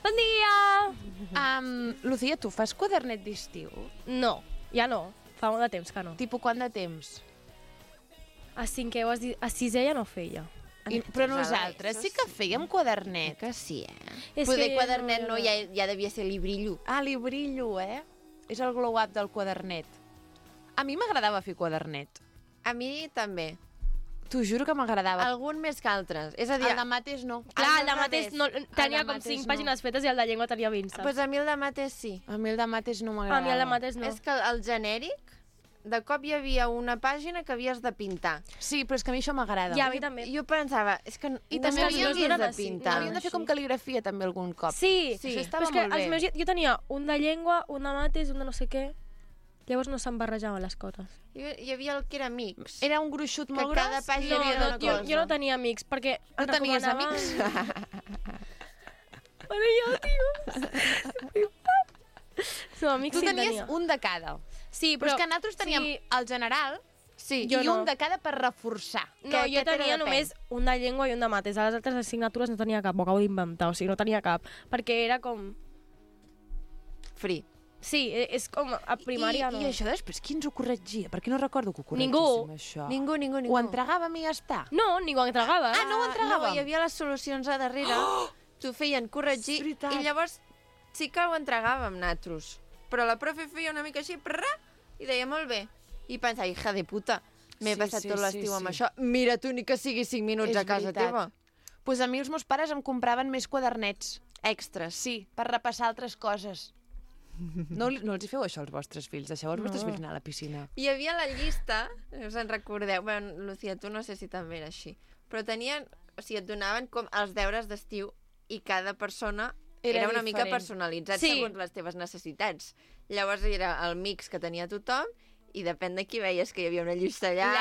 Bon dia! Um, Lucía, tu fas quadernet d'estiu? No, ja no. Fa molt de temps que no. Tipo, quant de temps? A cinquè o a si- a sisè ja no feia. I, però Això nosaltres això sí que fèiem quadernet. Que sí, eh? És Poder que quadernet no, no- ja, ja devia ser librillo. Ah, li brillo, eh? És el glow-up del quadernet. A mi m'agradava fer quadernet. A mi també. T'ho juro que m'agradava. Algun més que altres. És a dir, El de mates no. Clar, al el de mates revés. no, tenia de com mates cinc no. pàgines fetes i el de llengua tenia vint, saps? pues a mi el de mates sí. A mi el de mates no m'agradava. A mi el de mates no. És que el genèric, de cop hi havia una pàgina que havies de pintar. Sí, però és que a mi això m'agrada. Ja, a mi també. Jo pensava, és que I no també m'ho havíem havies de- de sí, pintar. Havíem de fer com cal·ligrafia també algun cop. Sí, Sí. Això estava però és que molt bé. els meus, jo tenia un de llengua, un de mates, un de no sé què. Llavors no se'n barrejaven les coses. Hi hi havia el que era mix. Era un gruixut Que molt cada gros. pàgina No, havia no, una jo, cosa. jo no tenia amics, perquè... No em tenies recomanaven- amics? Bueno, jo, tio. No, amics Tu sí en tenies tenia. un de cada. Sí, Però és que nosaltres teníem Sí, el general Sí, i Jo no. un de cada per reforçar. no, que jo aquest era tenia de només un de llengua i un de mates. A les altres assignatures no tenia cap, ho acabo d'inventar, o sigui, no tenia cap. Perquè era com... free. Sí, e- és com a primària I, no. I això després, qui ens ho corregia? Perquè no recordo que ho corregíssim, Ningú. això. Ningú, ningú, ningú. Ho entregàvem i ja està. No, ningú ho entregava. Ah, no ho entregàvem? No, hi havia les solucions a darrere. Oh! T'ho feien corregir És veritat. i llavors sí que ho entregàvem nosaltres. Però la profe feia una mica així prrra, i deia molt bé. I pensava, hija de puta, m'he Sí, passat sí, tot sí, l'estiu amb sí. això. Mira tu, ni que sigui cinc minuts És a casa veritat. teva. Doncs pues a mi els meus pares em compraven més quadernets. Extras. Sí, per repassar altres coses. No, li- no els hi feu això als vostres fills? Deixeu els vostres No. fills anar a la piscina. Hi havia la llista, us en recordeu? Bueno, Lucía, tu no sé si també era així. Però tenien, o sigui, et donaven com els deures d'estiu i cada persona Era era, una mica diferent. personalitzat Sí. segons les teves necessitats. Llavors era el mix que tenia tothom i depèn de qui veies que hi havia una llista llarga.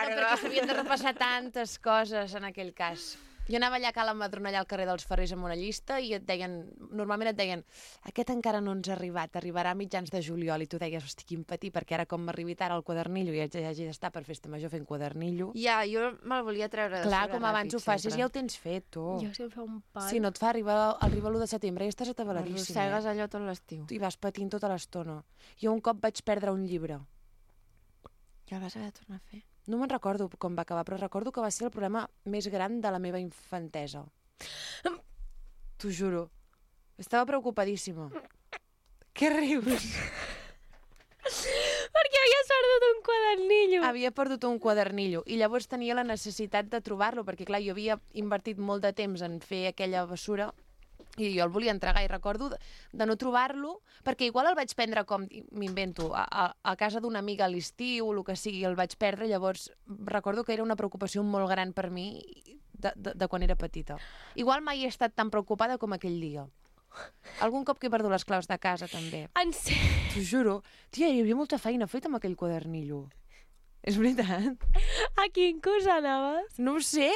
Llarga, perquè s'havien de repassar tantes coses en aquell cas. Jo anava allà a Cala Madrona, allà al carrer dels Ferrers, amb una llista, i et deien, normalment et deien, aquest encara no ens ha arribat, arribarà a mitjans de juliol, i tu deies, hosti, quin patí, perquè ara com m'arribi tard el quadernillo, i ja hagi d'estar per festa major fent quadernillo. Ja, jo me'l volia treure de Clar, sobre com abans ràpid, ho facis, sempre. ja ho tens fet, tu. Jo sí em fa un pal. Si no et fa arribar, arriba l'u de setembre i estàs atabaladíssim. Arrossegues Eh? allò tot l'estiu. I vas patint tota l'estona. Jo un cop vaig perdre un llibre. Ja el vas haver de tornar a fer. No me'n recordo com va acabar, però recordo que va ser el problema més gran de la meva infantesa. T'ho juro. Estava preocupadíssima. Què rius? Perquè havies perdut un quadernillo. Havia perdut un quadernillo i llavors tenia la necessitat de trobar-lo, perquè clar, jo havia invertit molt de temps en fer aquella bessura i jo el volia entregar i recordo de, de no trobar-lo, perquè igual el vaig prendre com, m'invento, a, a, a casa d'una amiga a l'estiu o el que sigui, el vaig perdre, llavors recordo que era una preocupació molt gran per mi de, de, de quan era petita. Igual mai he estat tan preocupada com aquell dia. Algun cop que he perdut les claus de casa, també. En sèrio? T'ho juro. Tia, hi havia molta feina feta amb aquell quadernillo. És veritat. A quin curs anaves? No ho sé.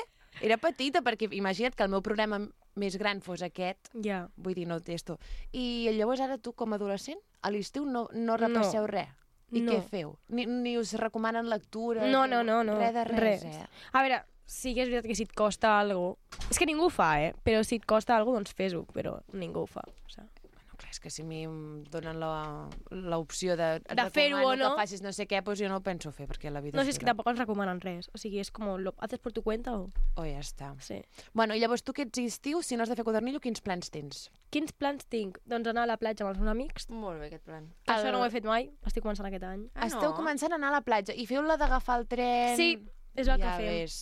Era petita, perquè imagina't que el meu problema més gran fos aquest. Ja. Vull dir, no ho testo. I llavors ara tu, com a adolescent, a l'estiu no, no repasseu No. res. I No. què feu? Ni, ni us recomanen lectura? No, no, no, no. Res de res, res. eh? A veure, sí que és veritat que si et costa alguna cosa... És que ningú ho fa, eh? Però si et costa alguna cosa, doncs fes-ho, però ningú ho fa. O sigui. Bueno, clar, és que si a mi em donen la- l'opció de... et De fer-ho recomano o no. que facis no sé què, doncs jo no ho penso fer, perquè la vida No sé, és que dura. tampoc ens recomanen res. O sigui, és com, lo haces por tu cuenta o... O ja està. Sí. Bueno, i llavors tu que ets estiu, si no has de fer quadernillo, quins plans tens? Quins plans tinc? Doncs anar a la platja amb els meus amics. Molt bé, aquest plan. Que El- això no ho he fet mai, estic començant aquest any. Ah, Esteu no? començant a anar a la platja i feu la d'agafar el tren... Sí, és el ja que fem. Ves.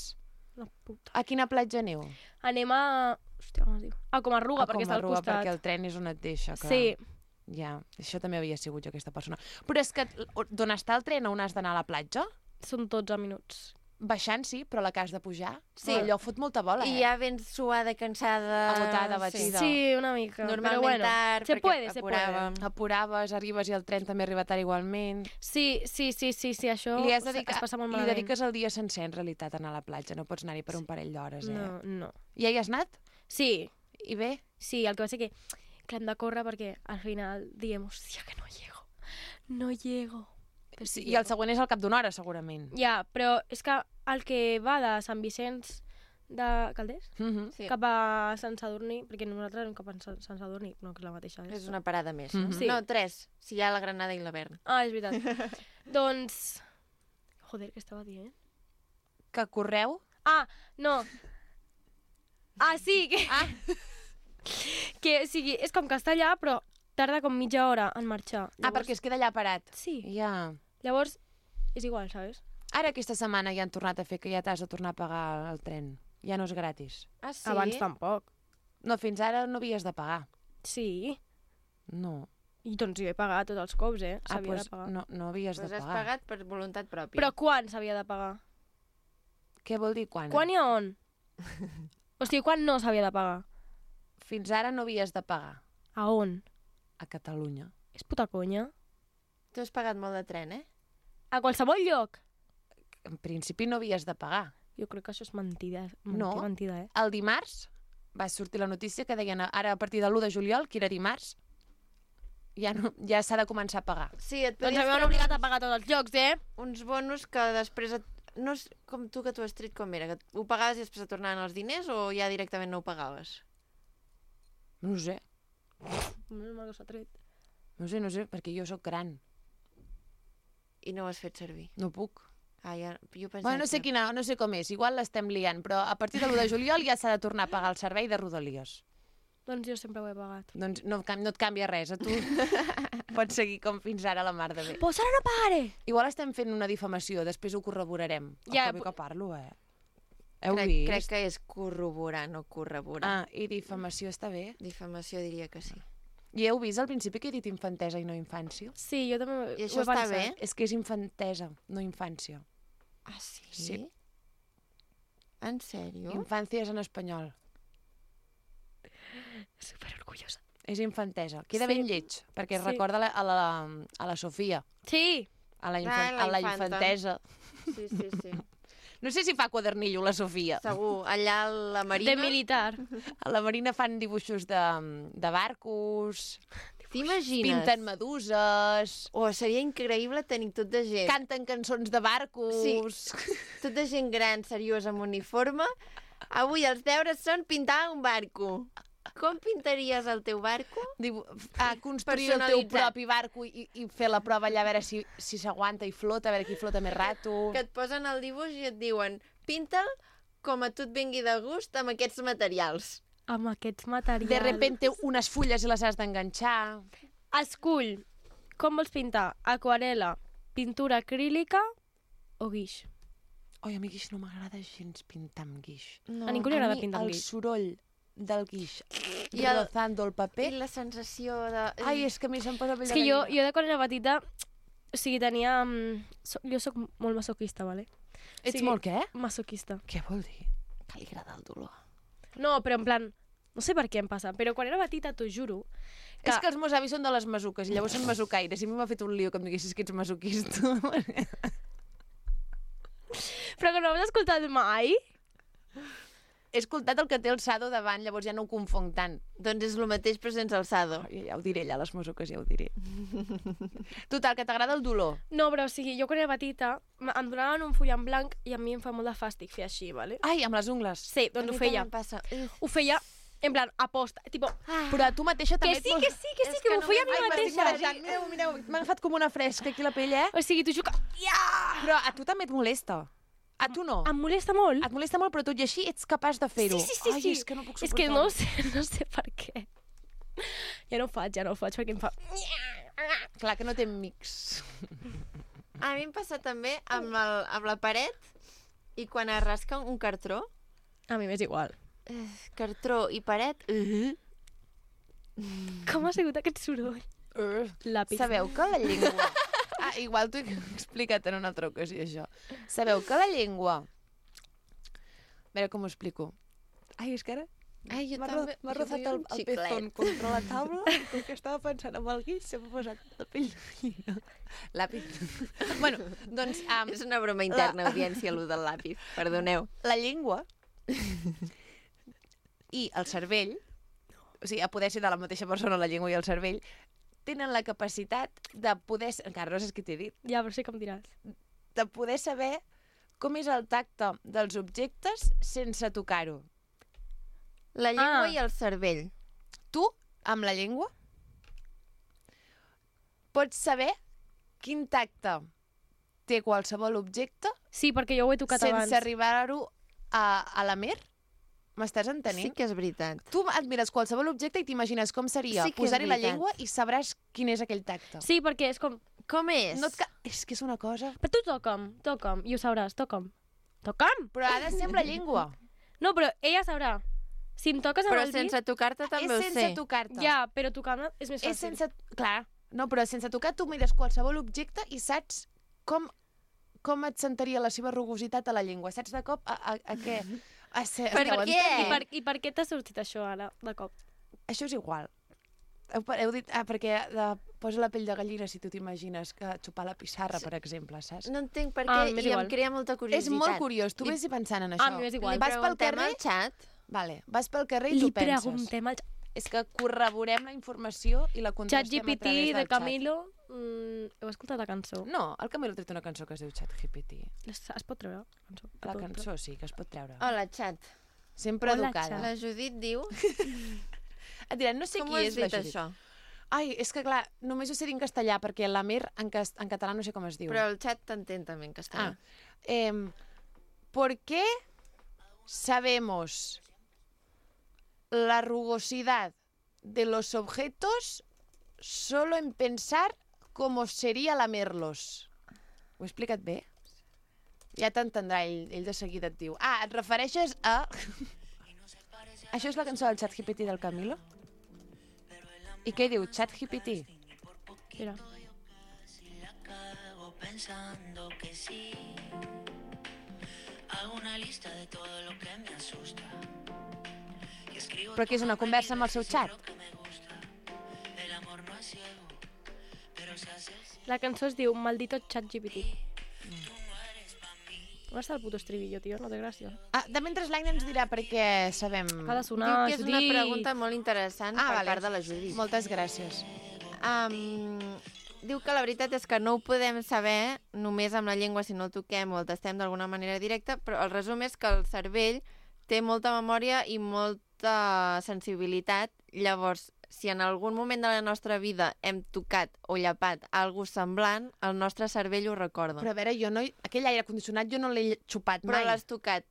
La puta. A quina platja aneu? Anem a... Hòstia, com es diu? A Comarruga, perquè està al Comarruga, costat. perquè el tren és on et deixa. Que... Sí, Ja, això també havia sigut jo, aquesta persona. Però és que d'on està el tren, on has d'anar a la platja? són dotze minuts. Baixant, sí, però la que has de pujar? Sí. Allò fot molta bola, I eh? ja vens suada, cansada... Agotada, batida. Sí, una mica. Normalment però bueno, tard, se perquè puede, se puede. apuràvem. Apuraves, arribes i el tren també arriba tard igualment. Sí, sí, sí, sí, sí, això Li, has es dedicat, passa molt li malament. dediques el dia sencer, en realitat, a anar a la platja. No pots anar-hi per un parell d'hores, eh? No, no. Ja hi has anat? Sí, I bé? sí, el que va ser que... que hem de córrer perquè al final diem, hòstia, que no llego, no llego. Però Sí, I el següent és al cap d'una hora, segurament. Ja, però és que el que va de Sant Vicenç de Calders Mm -hmm. Sí. cap a Sant Sadurní, perquè nosaltres anem cap a Sant Sant Sadurní, no, que és la mateixa. És una parada més, no? Mhm. Sí. No, tres. Si hi ha la Granada i la Berna. Ah, és veritat. Doncs... Joder, què estava dient? Que correu? Ah, no. Ah, sí, que... Ah. que, o sigui, és com castellà, però tarda com mitja hora en marxar. Ah, perquè es queda allà parat. Sí. Ja. Llavors, és igual, ¿sabes? Ara aquesta setmana ja han tornat a fer que ja t'has de tornar a pagar el tren. Ja no és gratis. Ah, sí? Abans tampoc. No, fins ara no havies de pagar. Sí. No. I doncs jo he pagat tots els cops, eh? Ah, S'havia doncs de pagar. no, no havies Pues de has pagar. pagat per voluntat pròpia. Però quan s'havia de pagar? Què vol dir quan? Quan i a on? O sigui, quan no s'havia de pagar? Fins ara no havies de pagar. A on? A Catalunya. És puta conya. Tu has pagat molt de tren, eh? A qualsevol lloc. En principi no havies de pagar. Jo crec que això és mentida. Mentida, No. mentida, eh? El dimarts va sortir la notícia que deien ara a partir de l'u de juliol, que era dimarts, ja, no, ja s'ha de començar a pagar. Sí, et Doncs podies a mi m'han treure obligat a pagar tots els llocs, eh? uns bonus que després... Et... No és com tu que tu has tret com era, que ho pagaves i després et tornaven els diners o ja directament no ho pagaves? No ho sé, Menys mal que s'ha tret. no ho sé, no ho sé, perquè jo sóc gran. I no ho has fet servir. No puc. Ah, ja... Jo pensava Bueno, no sé, que... quina, no sé com és, igual l'estem liant, però a partir de l'u de juliol ja s'ha de tornar a pagar el servei de Rodalies. Doncs jo sempre ho he pagat. Doncs no, cam- no et canvia res, a tu pots seguir com fins ara la mar de bé. Pues ara no pagaré! Igual estem fent una difamació, després ho corroborarem. Ja, Ja, que bé pu- que parlo, eh? Heu crec, vist? crec que és corroborar, no corroborar. Ah, i difamació està bé. Difamació diria que sí. I heu vist al principi que he dit infantesa i no infància? Sí, jo també I ho això he està pensat. bé? És que és infantesa, no infància. Ah, sí? Sí. En sèrio? Infància és en espanyol. Super orgullosa. És infantesa. Queda Sí. ben lleig, perquè es Sí. recorda a la, a la, a la Sofia, Sí! a la, Ah, infan la a la infanta. infantesa. Sí, sí, sí. No sé si fa quadernillo la Sofia. Segur. Allà a la Marina... De militar. A la Marina fan dibuixos de, de barcos, T'imagines? pinten meduses, Oh, seria increïble tenir tot de gent. canten cançons de barcos... Sí. Tot de gent gran, seriosa, amb uniforme. Avui els deures són pintar un barco. Com pintaries el teu barco? Diu, a construir el teu Personalitzat. propi barco i, i fer la prova allà a veure si si s'aguanta i flota, a veure qui flota més rato. Que et posen el dibuix i et diuen pinta'l com a tu et vingui de gust amb aquests materials. Amb aquests materials. De repente unes fulles i les has d'enganxar. Escull. Com vols pintar? Aquarela, pintura acrílica o guix? Oi, a mi guix no m'agrada gens pintar amb guix. No. A ningú li agrada mi pintar amb el guix. soroll del guix I el- rozando el paper... I la sensació de... Ai, és que a mi se'm posa pell És de que jo, gallina. jo de quan era petita, o sigui, tenia... mm, So, jo sóc molt masoquista, vale? Ets sigui- molt què? Masoquista. Què vol dir? Que li agrada el dolor. No, però en plan... No sé per què em passa, però quan era petita, t'ho juro, que... És que els meus avis són de les masuques i llavors són masucaires i a mi m'ha fet un lío que em diguessis que ets masoquista. Però que no has escoltat mai? He escoltat el que té el Sado davant, llavors ja no ho confonc tant. Doncs és el mateix però sense alçado. Ja, ja ho diré allà, les masuques ja ho diré. Total, que t'agrada el dolor. No, però o sigui, jo quan era petita m- em donaven un full en blanc i a mi em fa molt de fàstic fer així, vale? Ai, amb les ungles. Sí, doncs ho feia. Passa. Uf. Ho feia en plan aposta, tipo... Però tu mateixa Que també... sí, que sí, que sí, És que que m'ho feia a mi Ai, m'estic mateixa. marejant. Mireu, mireu, m'ha agafat com una fresca aquí la pell, eh? O sigui, t'ho juro que... Però a tu també et molesta. A tu no. Em molesta molt. Et molesta molt, però tot i així ets capaç de fer-ho. Sí, sí, sí, Ai, sí. és que no puc És suportar-ho. que no sé, no sé per què. Ja no ho faig, ja no ho faig, perquè em fa... Clar que no té mix. A mi em passa també amb, el, amb la paret i quan es rasca un cartró, A mi m'és igual. eh, cartró i paret, uh Com ha sigut aquest soroll? Uh. Lápiz. Sabeu que la llengua... Ah, igual t'ho he explicat en una altra ocasió, això. Sabeu que la llengua... A veure com ho explico. Ai, és que ara Ai, jo m'ha també. ro- m'ha jo rozat vull el, un el xiclet. pezón contra la taula i com que estava pensant en el guix se m'ha posat la pell de gallina. L'àpid. Bueno, doncs... Um, És una broma interna, audiència, allò del lápiz. Perdoneu. la llengua i el cervell o sigui, a poder ser de la mateixa persona, la llengua i el cervell, tenen la capacitat de poder... Encara no sé què t'he dit. Ja, però sí que em diràs. De poder saber com és el tacte dels objectes sense tocar-ho. La llengua Ah. i el cervell. Tu, amb la llengua, pots saber quin tacte té qualsevol objecte Sí, perquè jo ho he tocat sense abans. arribar-ho a, a la mer? M'estàs entenent? Sí que és veritat. Tu et mires qualsevol objecte i t'imagines com seria Sí que és posar-hi la veritat. llengua i sabràs quin és aquell tacte. Sí, perquè és com... Com és? No et ca... És que és una cosa... Però tu toca'm, toca'm, i ho sabràs, toca'm. Toca'm! Però ha de ser amb la llengua. No, però ella sabrà. Si em toques amb Però el sense dit... tocar-te també és ho sense sé. tocar-te. Ja, però tocant és més fàcil. És sense... Clar, no, però sense tocar tu mires qualsevol objecte i saps com, com et sentaria la seva rugositat a la llengua. Saps de cop a, a, a què? A ser, Per esteu què? entenent? I per, I per què t'ha sortit això ara, de cop? Això és igual. Heu, heu dit... Ah, perquè de, posa la pell de gallina si tu t'imagines que xupar la pissarra, per exemple, saps? No entenc per Ah, què m'és i igual. em crea molta curiositat. És molt curiós. Tu Li- vés pensant en Ah, això. a mi m'és igual. Li Vas pel preguntem carrer... al xat. Vale, vas pel carrer i Li tu penses. preguntem al És que corroborem la informació i la contrastem a ChatGPT través del de xat. Camilo. Mm, heu escoltat la cançó? No, el Camilo ha tret una cançó que es diu ChatGPT. Es, es pot treure, la cançó? La A tot, cançó sí que es pot treure. Hola, xat. Sempre Hola, educada. xat. La Judit diu... Et diran, no sé Com ho qui has és la dit, Judit. això? Ai, és que clar, només ho sé dir en castellà, perquè la Mer en, cas en català no sé com es diu. Però el xat t'entén també en castellà. Ah, eh, ¿por qué sabemos la rugosidad de los objetos solo en pensar cómo sería lamer-los? Ho he explicat bé? Ja t'entendrà, ell, ell de seguida et diu. Ah, et refereixes a... Això és la cançó del ChatGPT del Camilo? I què diu? ChatGPT? Mira. Pensando que sí, hago una lista de todo lo que me asusta. Y escribo Però que és una conversa amb el seu xat? lo que me gusta. El amor no es ciego, pero se hace La cançó es diu Maldito ChatGPT. On està el puto estribillo, tio? No té gràcia. Ah, de mentre l'Aina ens dirà perquè sabem... Ha de Diu sonar, que és una Judit. pregunta molt interessant Ah, per vale. part de la Judit. Moltes gràcies. Um, diu que la veritat és que no ho podem saber només amb la llengua si no el toquem o el tastem d'alguna manera directa, però el resum és que el cervell té molta memòria i molta sensibilitat. Llavors, si en algun moment de la nostra vida hem tocat o llapat algú semblant, el nostre cervell ho recorda. Però a veure, jo no... Aquell aire condicionat jo no l'he xupat Però mai. l'has tocat.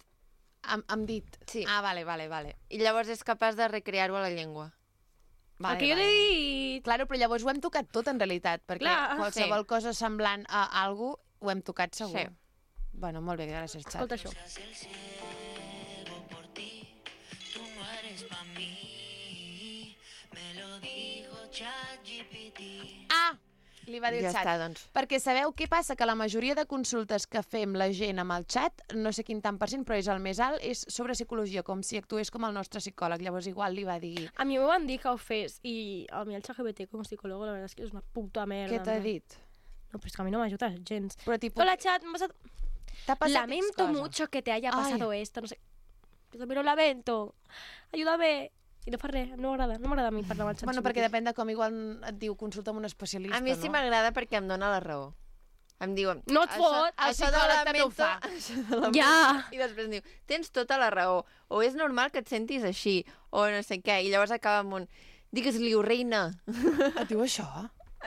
Amb, amb dit. Sí. Ah, vale, vale, vale. I llavors és capaç de recrear-ho a la llengua. vale El que jo vale. t'he dit... Claro, però llavors ho hem tocat tot en realitat, perquè Clar, qualsevol sí. cosa semblant a algú ho hem tocat segur. Sí. Bueno, molt bé, gràcies, xat. Escolta això. hace el ciego por ti. Tú no eres pa' mí. Me lo dijo ChatGPT. Ah! Li va dir Ja el xat. està, doncs. Perquè sabeu què passa? Que la majoria de consultes que fem la gent amb el xat, no sé quin tant per cent, però és el més alt, és sobre psicologia, com si actués com el nostre psicòleg. Llavors igual li va dir... A mi m'ho van dir que ho fes i a mi el ChatGPT com a psicólogo la verdad es que és una puta merda. Què t'ha no? dit? No, pero es que a mí no me ayuda gens. Però tipus... Hola, chat, me ha pasado... T'ha passat Lamento X cosa? mucho que te haya Ay. pasado esto, no sé... Yo también lo lamento. Ayúdame. I no fa res, no m'agrada, no m'agrada a mi parlar amb el ChatGPT. Bueno, perquè depèn de com igual et diu consulta amb un especialista, A mi sí no? m'agrada perquè em dona la raó. Em diuen... No et fot, el això de psicòleg també ho lamento- fa. això de lamento- Ja. I després em diu, tens tota la raó, o és normal que et sentis així, o no sé què, i llavors acaba amb un, digues-li-ho, reina. Et diu això?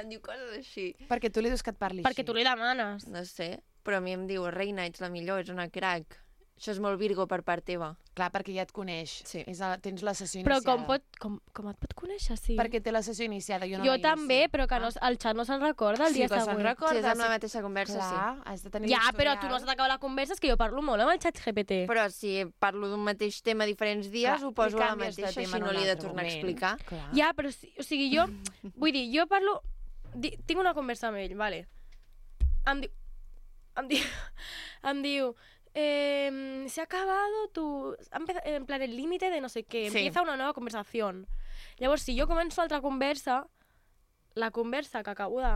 Em diu coses així. Perquè tu li dius que et parli Perquè així. tu li demanes. No sé, però a mi em diu, reina, ets la millor, ets una crac. Això és molt Virgo per part teva. Clar, perquè ja et coneix. Sí. És a, tens la sessió Però iniciada. com, pot, com, com et pot conèixer, sí? Perquè té la sessió iniciada. Jo, no jo la també, inicio. però que no, el xat no se'n recorda el Sí dia que se'n següent. recorda. Si és amb la sí. mateixa conversa, Clar, has de tenir Ja, però l'historial. tu no has d'acabar la conversa, és que jo parlo molt amb el xat G P T. sí. Però si parlo d'un mateix tema diferents dies, Clar, ho poso li a la canvies de mateixa, tema així en no un li he de altre tornar a moment. explicar. Clar. Ja, però, sí- o sigui, jo... Vull dir, jo parlo... Di, tinc una conversa amb ell, vale. Em diu... Em diu... Em diu... Eh, se ha acabado tu... empe- En plan, el límite de no sé què. Sí. Empieza una nova conversación. Llavors, si jo començo altra conversa, la conversa que acabo de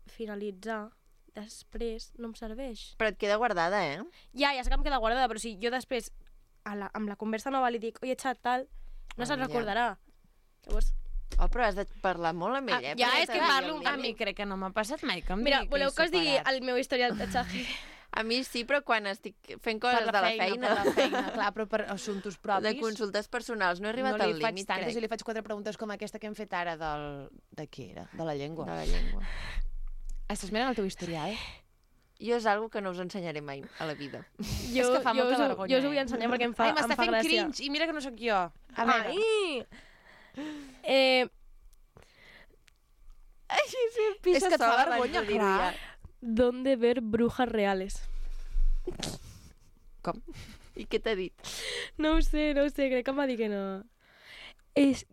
finalitzar després no em serveix. Però et queda guardada, eh? Ja, ja sé que em queda guardada, però si jo després a la, amb la conversa nova li dic, oye, xat, tal, no se'n Ah, ja. recordarà. Llavors, Oh, però has de parlar molt amb ell, Ah, eh? ja, perquè és que t'agradi parlo el A límit. mi crec que no m'ha passat mai que em mira, digui voleu que us digui superat. el meu historial de xaje? A mi sí, però quan estic fent Per coses la de la feina, feina, per la feina, clar, però per assumptes propis... de consultes personals, no he arribat no li al faig límit, tantes crec, i li faig quatre preguntes com aquesta que hem fet ara del... de què era? De la llengua. de la llengua. Estàs mirant el teu historial? Jo és algo que no us ensenyaré mai a la vida. Jo, És que fa jo molta us, ho- vergonya, Jo us ho vull eh? ensenyar perquè em fa, Ai, em m'està fa fent gràcia. cringe, i mira que no sóc jo. A veure, Ai! Eh, Ai, sí, és que et fa vergonya, clar. ¿Dónde ver brujas reales? Com? I què t'ha dit? No ho sé, no ho sé, crec que em va dir que no. Es...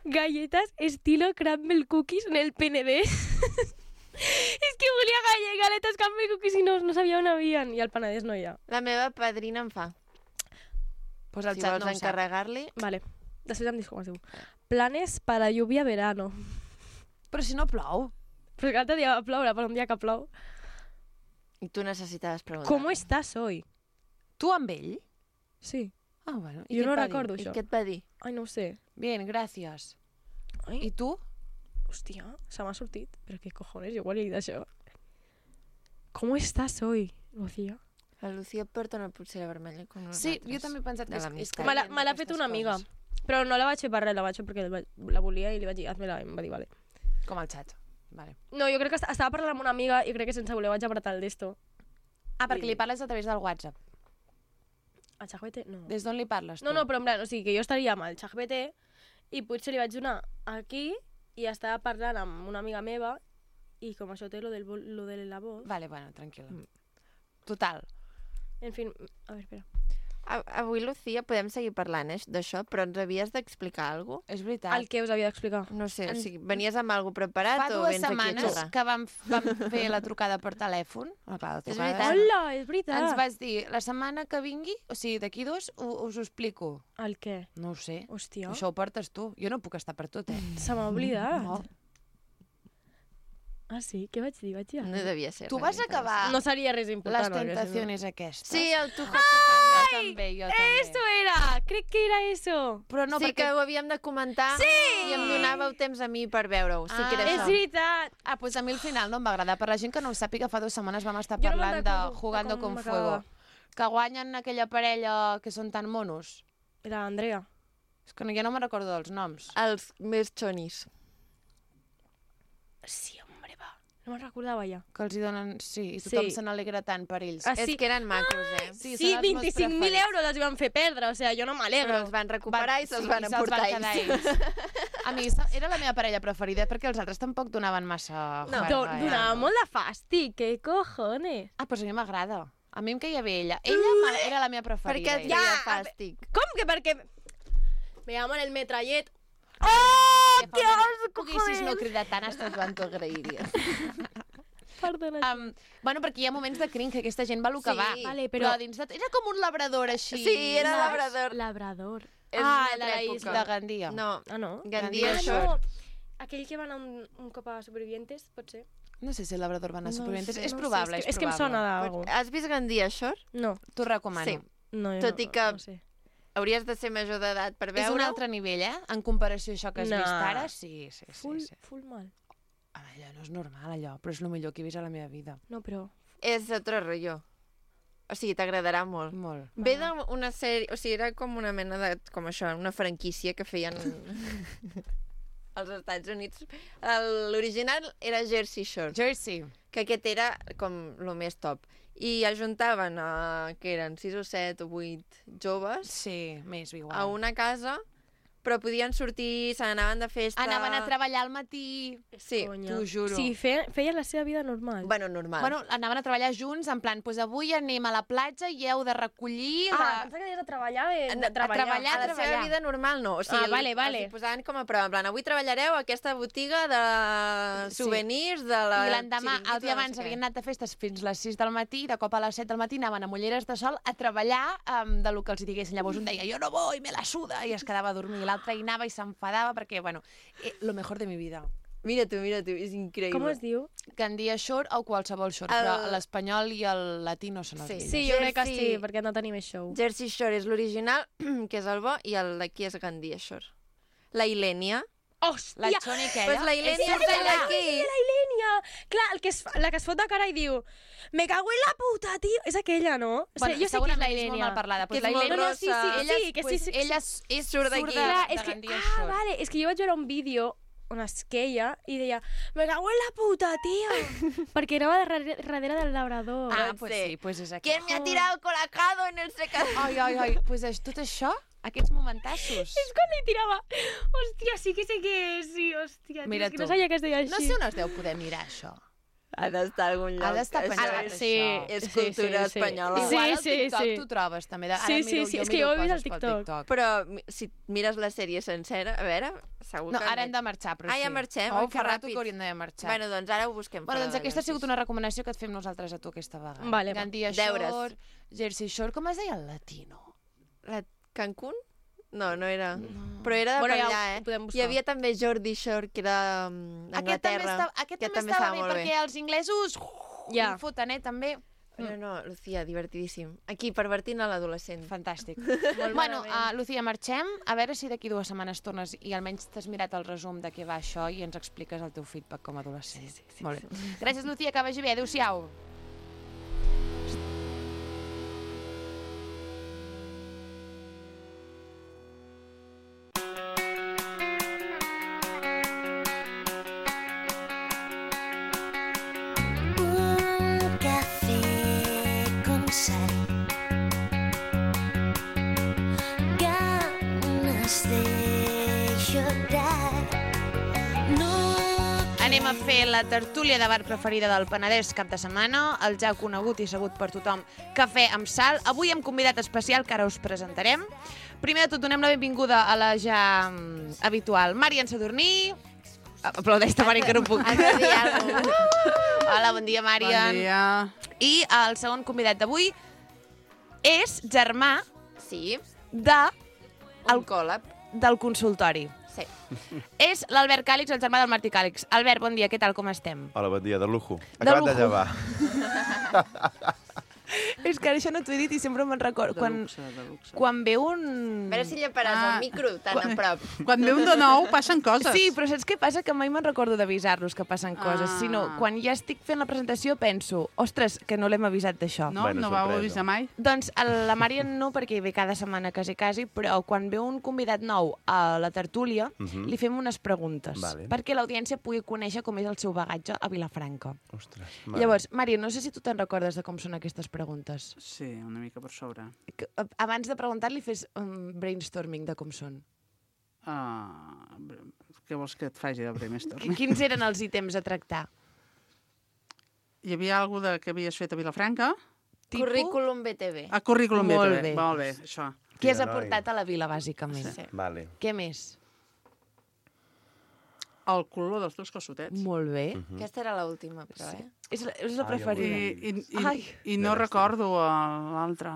Galletas estilo crumble cookies en el P N D. És que volia galle, galetes crumble cookies i no, no sabia on havien. I al Penedès no hi ha. La meva padrina em fa. Pues el Si xat vols no ho sap. encarregar-li... Vale, després em dius com es diu. Planes para lluvia verano. Però si no plou. Però que l'altre dia va ploure, per un dia que plou. I tu necessitaves preguntar. ¿Cómo estás hoy? Tu amb ell? Sí. Ah, bueno. Jo no recordo I això. què et va dir? Ai, no ho sé. Bien, gràcies. Ai, I tu? hòstia, se m'ha sortit. Però què cojones, jo igual he dit això. ¿Cómo estás hoy, Lucía? La Lucía porta una pulsera vermella com nosaltres. Sí, jo també he pensat De que és, l'amistat. és que Me l'ha diem me l'ha aquestes fet una amiga. coses. Però no la vaig fer per res, la vaig fer perquè la, vaig- la volia i li vaig dir, hazme-la, i em va dir, vale. Com el xat. Vale. No, jo crec que est- estava parlant amb una amiga i crec que sense voler vaig apretar el d'esto. Ah, perquè li parles a través del WhatsApp. A ChatGPT? No. Des d'on li parles, tu? No, no, però en plan, o sigui, que jo estaria amb el ChatGPT i potser li vaig donar aquí i estava parlant amb una amiga meva i com això té lo, del, vol- lo de la voz... Vale, bueno, tranquil·la. Total. En fin, a veure, espera. A- Avui, Lucía, podem seguir parlant eh, d'això, però ens havies d'explicar alguna cosa? És veritat. El que us havia d'explicar. No sé, o En- sigui, venies amb alguna preparat Fa o dues vens aquí a setmanes xerrar? que vam, vam fer la trucada per telèfon. Ah, clar, la És trucada veritat. Hola, és veritat. Ens vas dir, la setmana que vingui, o sigui, d'aquí dos, u- us ho explico. El què? No ho sé. Hòstia, Això ho portes tu. Jo no puc estar per tot, eh? se m'ha oblidat. No. Ah, sí? Què vaig dir? Vaig dir No devia ser. Tu res vas interessant. acabar No seria res important. les perquè si no- tentacions aquestes. Sí, el tu Jo també, jo també. Esto era! Crec que era eso. Però no, sí perquè... que ho havíem de comentar sí! i em donàveu temps a mi per veure-ho. Sí que era Ah. És això. veritat. Ah, doncs a mi al final no em va agradar. Per la gent que no ho sàpiga, fa dues setmanes vam estar Jo no me'n parlant de recordo de Jugando com con m'acabava. Fuego. Que guanyen aquella parella que són tan monos. Era Andrea. És que no, ja no me'n recordo dels noms. Els més xonis. Sí, hombre, va. No me'n recordava ja. Que els hi donen... Sí, i tothom Sí. se n'alegra tant per ells. Ah, És sí. que eren macos, eh? Sí, Sí, són els meus vint-i-cinc mil preferits. euros els van fer perdre, o sigui, jo no Però m'alegro. els van recuperar i se'ls sí, van i se'ls emportar quedar ells. A mi se- era la meva parella preferida perquè els altres tampoc donaven massa... No, juerga, do- eh? donava molt de fàstic, què cojones? Ah, doncs a mi m'agrada. A mi em queia bé ella. Ella me- era la meva Per preferida. què et ella. feia Ja, a fàstic? Com que perquè... Me llaman el metrallet. Oh, Dios, poguessis no cridar tant, hasta quan t'ho agrairies. Perdona. Um, bueno, perquè hi ha moments de cringe, que aquesta gent va el que Sí. va. Vale, però... però- dins de... Era com un labrador així. Sí, era saps? labrador. Labrador. És Ah, una de la altra isla època. de Gandia. No, Ah, no? Gandia Ah, Shore. no. Aquell que va anar un, un cop a Supervivientes, pot ser? No sé si el labrador va anar a No Supervivientes. sé, és no sé, probable, és, és, que, és que em probable. sona d'algú. Has vist Gandia Shore? No, T'ho recomano. Sí. no, jo Tot no, i que- no sé. Hauries de ser major d'edat per És veure-ho. un altre nivell, eh? En comparació a això que has No. vist ara, sí, sí, sí. Full, sí. full mal. Ah, allò no és normal, allò, però és el millor que he vist a la meva vida. No, però... És otro rotllo. O sigui, t'agradarà molt. Molt. Ve d'una sèrie... O sigui, era com una mena de... Com això, una franquícia que feien als Estats Units. El- L'original era Jersey Shore, Jersey. que aquest era com el més top. I ajuntaven, a, que eren sis o set o vuit joves Sí, més igual. a una casa, però podien sortir, se n'anaven de festa... Anaven a treballar al matí. Sí. Conya. t'ho juro. Sí, feien, feien la seva vida normal. Bueno, normal. Bueno, anaven a treballar junts, en plan, pues avui anem a la platja i heu de recollir... ah, la... pensava que deies a treballar de, A- de a treballar. treballar. a la seva treballar. vida normal no. O sigui, Ah, vale, vale. Els hi posaven com a prova, en plan, avui treballareu a aquesta botiga de Sí. souvenirs de la... I l'endemà, Chiringuito, el dia no sé abans, què. havien anat a festes fins les sis del matí, de cop a les set del matí anaven amb ulleres de sol a treballar um, de lo que els hi diguessin. Llavors un deia, jo no voy, me la suda, i es quedava a dormir. I l'altre hi anava i s'enfadava perquè, bueno, eh, lo mejor de mi vida. Mira tu, mira tu, és increïble. Com es diu? Gandia Shore o qualsevol shore, El- però l'espanyol i el latí no són els Sí. millors. Sí, jo crec que Jersey- sí, perquè han de tenir més show. Jersey Shore és l'original, que és el bo, i el d'aquí és Gandia Shore. La Ilènia. Hòstia! La Choni aquella. Pues la Ilènia És és allà. d'aquí. La Ilènia! Clar, el que es fa, la que es fot de cara i diu me cago en la puta, tio! És aquella, no? O Bueno, sigui, jo sé que és segurament la és molt Ilènia. mal parlada. Pues Que és la molt Ilènia... rossa. Sí, sí, ella, sí, que sí, pues, sí, ella és, és surt surt d'aquí. de, Clar, de és que, Gandia ah, Shore. vale, és que jo vaig veure un vídeo on es queia i deia me cago en la puta, tio! Perquè anava darrere, darrere del labrador. Ah, Pot pues ser. sí, pues és aquí. ¿Quién me ha tirado colacado en el secador? Ai, ai, ai, pues és tot això, aquests momentassos. És quan li tirava. Hòstia, sí que sé que és, sí, hòstia. Mira és que tu. no sabia que es deia així. No sé on es deu poder mirar això. Ha d'estar a algun lloc. Ha d'estar Això penjat, és- sí, És sí, cultura sí, sí. espanyola. Sí, Igual al sí, TikTok sí. t'ho trobes, també. Ara Sí, miro, sí, sí, jo és que miro jo ho he vist al coses pel TikTok. TikTok. Però mi- si mires la sèrie sencera, a veure, segur No, que... ara hem de marxar, però Ah, sí. ja marxem? Oh, Oi, que fa rato ràpid. que hauríem d'haver marxat. Bueno, doncs ara ho busquem. Bueno, fora doncs de aquesta ha sigut Gansis. una recomanació que et fem nosaltres a tu aquesta vegada. Vale, va. Gandia Deures. Shore, Jersey Shore, com es deia el latino? La Cancún? No, no era... Però era de Bueno, per ja ho allà, eh? podem buscar. Hi havia també Jordi Shore, que era um, Aquest també, Anglaterra. estava, aquest que també estava bé, molt perquè els inglesos Ja. hi foten, eh, també. No, no, Lucía, divertidíssim. Aquí, pervertint a l'adolescent. Fantàstic. Molt Bueno, malament. uh, Lucía, marxem. A veure si d'aquí dues setmanes tornes i almenys t'has mirat el resum de què va això i ens expliques el teu feedback com a adolescent. Sí, sí, sí. Molt bé. Gràcies, Lucía, que vagi bé. Adéu-siau. Un café con sal. Ganas de llorar. No Anem a fer la tertúlia de bar preferida del Penedès cap de setmana, el ja conegut i sabut per tothom Cafè amb sal. Avui amb convidat especial que ara us presentarem. Primer de tot donem la benvinguda a la ja mm, habitual Marian Sadurní. Aplaudeix, Tamari, que no puc. Has de dir alguna cosa. Hola, bon dia, Marian. Bon dia. I el segon convidat d'avui és germà Sí, de, un col·lab. del consultori. Sí. És l'Albert Càlix, el germà del Martí Càlix. Albert, bon dia, què tal, com estem? Hola, bon dia, de lujo. De Acabat lujo. de llevar. És que ara això no t'ho he dit i sempre me'n recordo. De Quan, luxe, de luxe. quan ve un... A veure si lleparàs Ah. el micro tan a prop. Quan ve un de nou, passen coses. Sí, però saps què passa? Que mai me'n recordo d'avisar-los que passen coses, Ah. sinó quan ja estic fent la presentació penso, ostres, que no l'hem avisat d'això. No, Bueno, no vau sorpresa. avisar mai? Doncs a la Marian no, perquè ve cada setmana quasi, quasi, però quan ve un convidat nou a la tertúlia, Mhm. li fem unes preguntes, Vale. perquè l'audiència pugui conèixer com és el seu bagatge a Vilafranca. Ostres. Llavors, Marian, no sé si tu te'n recordes de com són aquestes preguntes. Sí, una mica per sobre. Que, a- abans de preguntar-li, fes un brainstorming de com són. Uh, què vols que et faci de brainstorm? Qui- Quins eren els ítems a tractar? Hi havia alguna de que havies fet a Vilafranca? Tipus? Currículum B T V. A Currículum Molt B T V. bé. Molt bé, això. Què has Tira, noi. aportat a la vila, bàsicament? Sí. Vale. Què més? El color dels teus calçotets. Molt bé. Mhm. Aquesta era l'última, però, eh? És, la- és la Ai, preferida. I, i, i, Ai. i no Mira, recordo el- l'altre.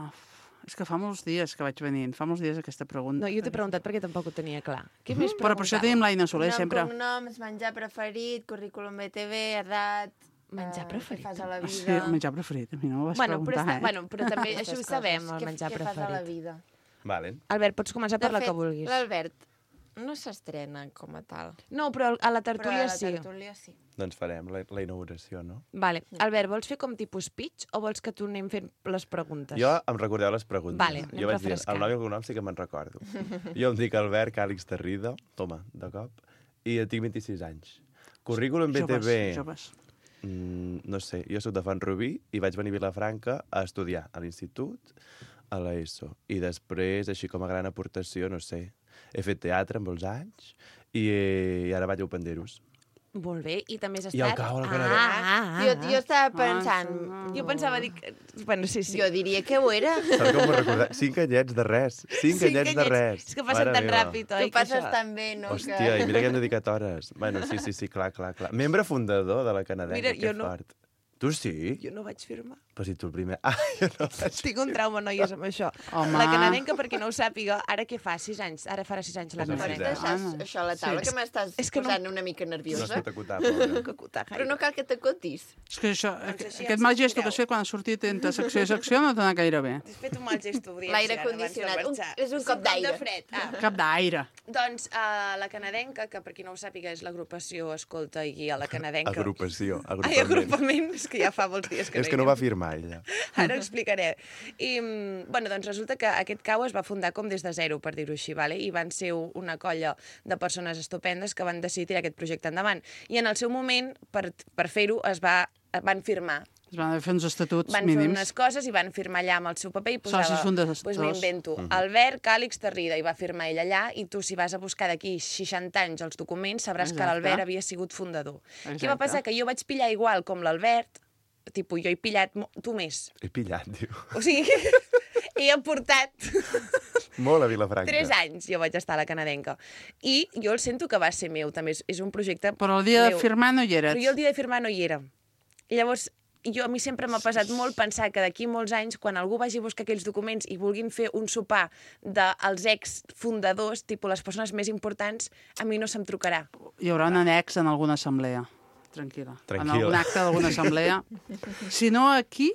És que fa molts dies que vaig venint, fa molts dies aquesta pregunta. No, jo t'he preguntat perquè tampoc ho tenia clar. Què més Però per això tenim l'Aina Soler, Nom, sempre. cognoms, menjar preferit, currículum B T V, edat... Menjar eh, preferit. Què fas a la vida? Sí, el menjar preferit. A mi no m'ho vas Bueno, però, preguntar, està, eh? bueno, però també Aquestes això ho coses. sabem, el Què- menjar què fas a la preferit. vida? Vale. Albert, pots començar per De la fet, que vulguis. l'Albert no s'estrena com a tal. No, però a la Però tertúlia a la sí. tertúlia sí. Doncs farem la, la inauguració, no? Vale. Albert, vols fer com tipus pitch o vols que tu anem fent les preguntes? Jo em recordeu les preguntes. Vale, anem jo vaig dir, refrescant. el nom i el cognom sí que me'n recordo. Jo em dic Albert Càlix Tarrida, toma, de cop, i tinc vint-i-sis anys. Currículum B T V, Joves, joves. mm, no sé, jo soc de Font Rubí i vaig venir a Vilafranca a estudiar a l'institut, a l'ESO. I després, així com a gran aportació, no sé, he fet teatre amb molts anys i, i ara vaig a Openderos. Molt bé, i també has I al estat... cau, al ah, Canadà. ah, ah, Jo, ah. jo estava Ah, pensant... sí. Jo pensava dir que... Bueno, sí, sí. Jo diria que ho era. Saps com m'ho recordat? Cinc anyets de res. Cinc, Cinc anyets de anyets. res. És que passen Mare tan meva. ràpid, oi? Tu passes que això- tan bé, no? Hòstia, i mira que hem dedicat hores. Bueno, sí, sí, sí, clar, clar, clar. Membre fundador de la canadenca, Mira, que jo no. fort. Tu sí? Jo no vaig firmar. Però si tu el primer... Ah, jo no vaig... Tinc un trauma, noies, amb això. Home. La canadenca, per qui no ho sàpiga, ara què fa? Sis anys? Ara farà sis anys la És un Pots sisè. canadenca. deixar això a la taula, Sí. que m'estàs És que no- posant una mica No es nerviosa? pot acotar, pobra. Que cutar, Però no cal que t'acotis. És que això, Doncs així aquest ens mal gesto que sentireu. has fet quan has sortit entre secció i secció no t'ha anat gaire bé. Has fet un mal gest, podria L'aire ser, ara, abans de condicionat. Un- marxar. és un cop d'aire. de fred. Ah. Cap d'aire. Doncs uh, la canadenca, que per qui no ho sàpiga és l'agrupació Escolta i Guia la canadenca. Agrupació, Ai, agrupament. agrupament, és que ja fa molts dies que És no que hi no va anem. firmar, ella. Ara ho explicaré. I, mm, bueno, doncs resulta que aquest cau es va fundar com des de zero, per dir-ho així, vale? I van ser una colla de persones estupendes que van decidir tirar aquest projecte endavant. I en el seu moment, per, per fer-ho, es va, van firmar. Es van fer uns estatuts Van fer mínims. unes coses i van firmar allà amb el seu paper i posava... Socis fundadors. Doncs m'invento. Albert Càlix Tarrida, i va firmar ell allà, i tu, si vas a buscar d'aquí seixanta anys els documents, sabràs que Exacte. l'Albert havia sigut fundador. Exacte. Què va passar? Que jo vaig pillar igual com l'Albert, tipus, jo he pillat mo- tu més. He pillat, diu. O sigui, he aportat Molt a Vilafranca. tres anys, jo vaig estar a la canadenca. I jo el sento que va ser meu, també. És, és un projecte Però el dia de meu. firmar no hi eres. Però jo el dia de firmar no hi era. I llavors, jo, a mi sempre m'ha pesat molt pensar que d'aquí molts anys, quan algú vagi a buscar aquells documents i vulguin fer un sopar dels ex-fundadors, tipus les persones més importants, a mi no se'm trucarà. Hi haurà un annex en alguna assemblea. Tranquil·la. En Tranquil·la. algun acte d'alguna assemblea. Si no, aquí,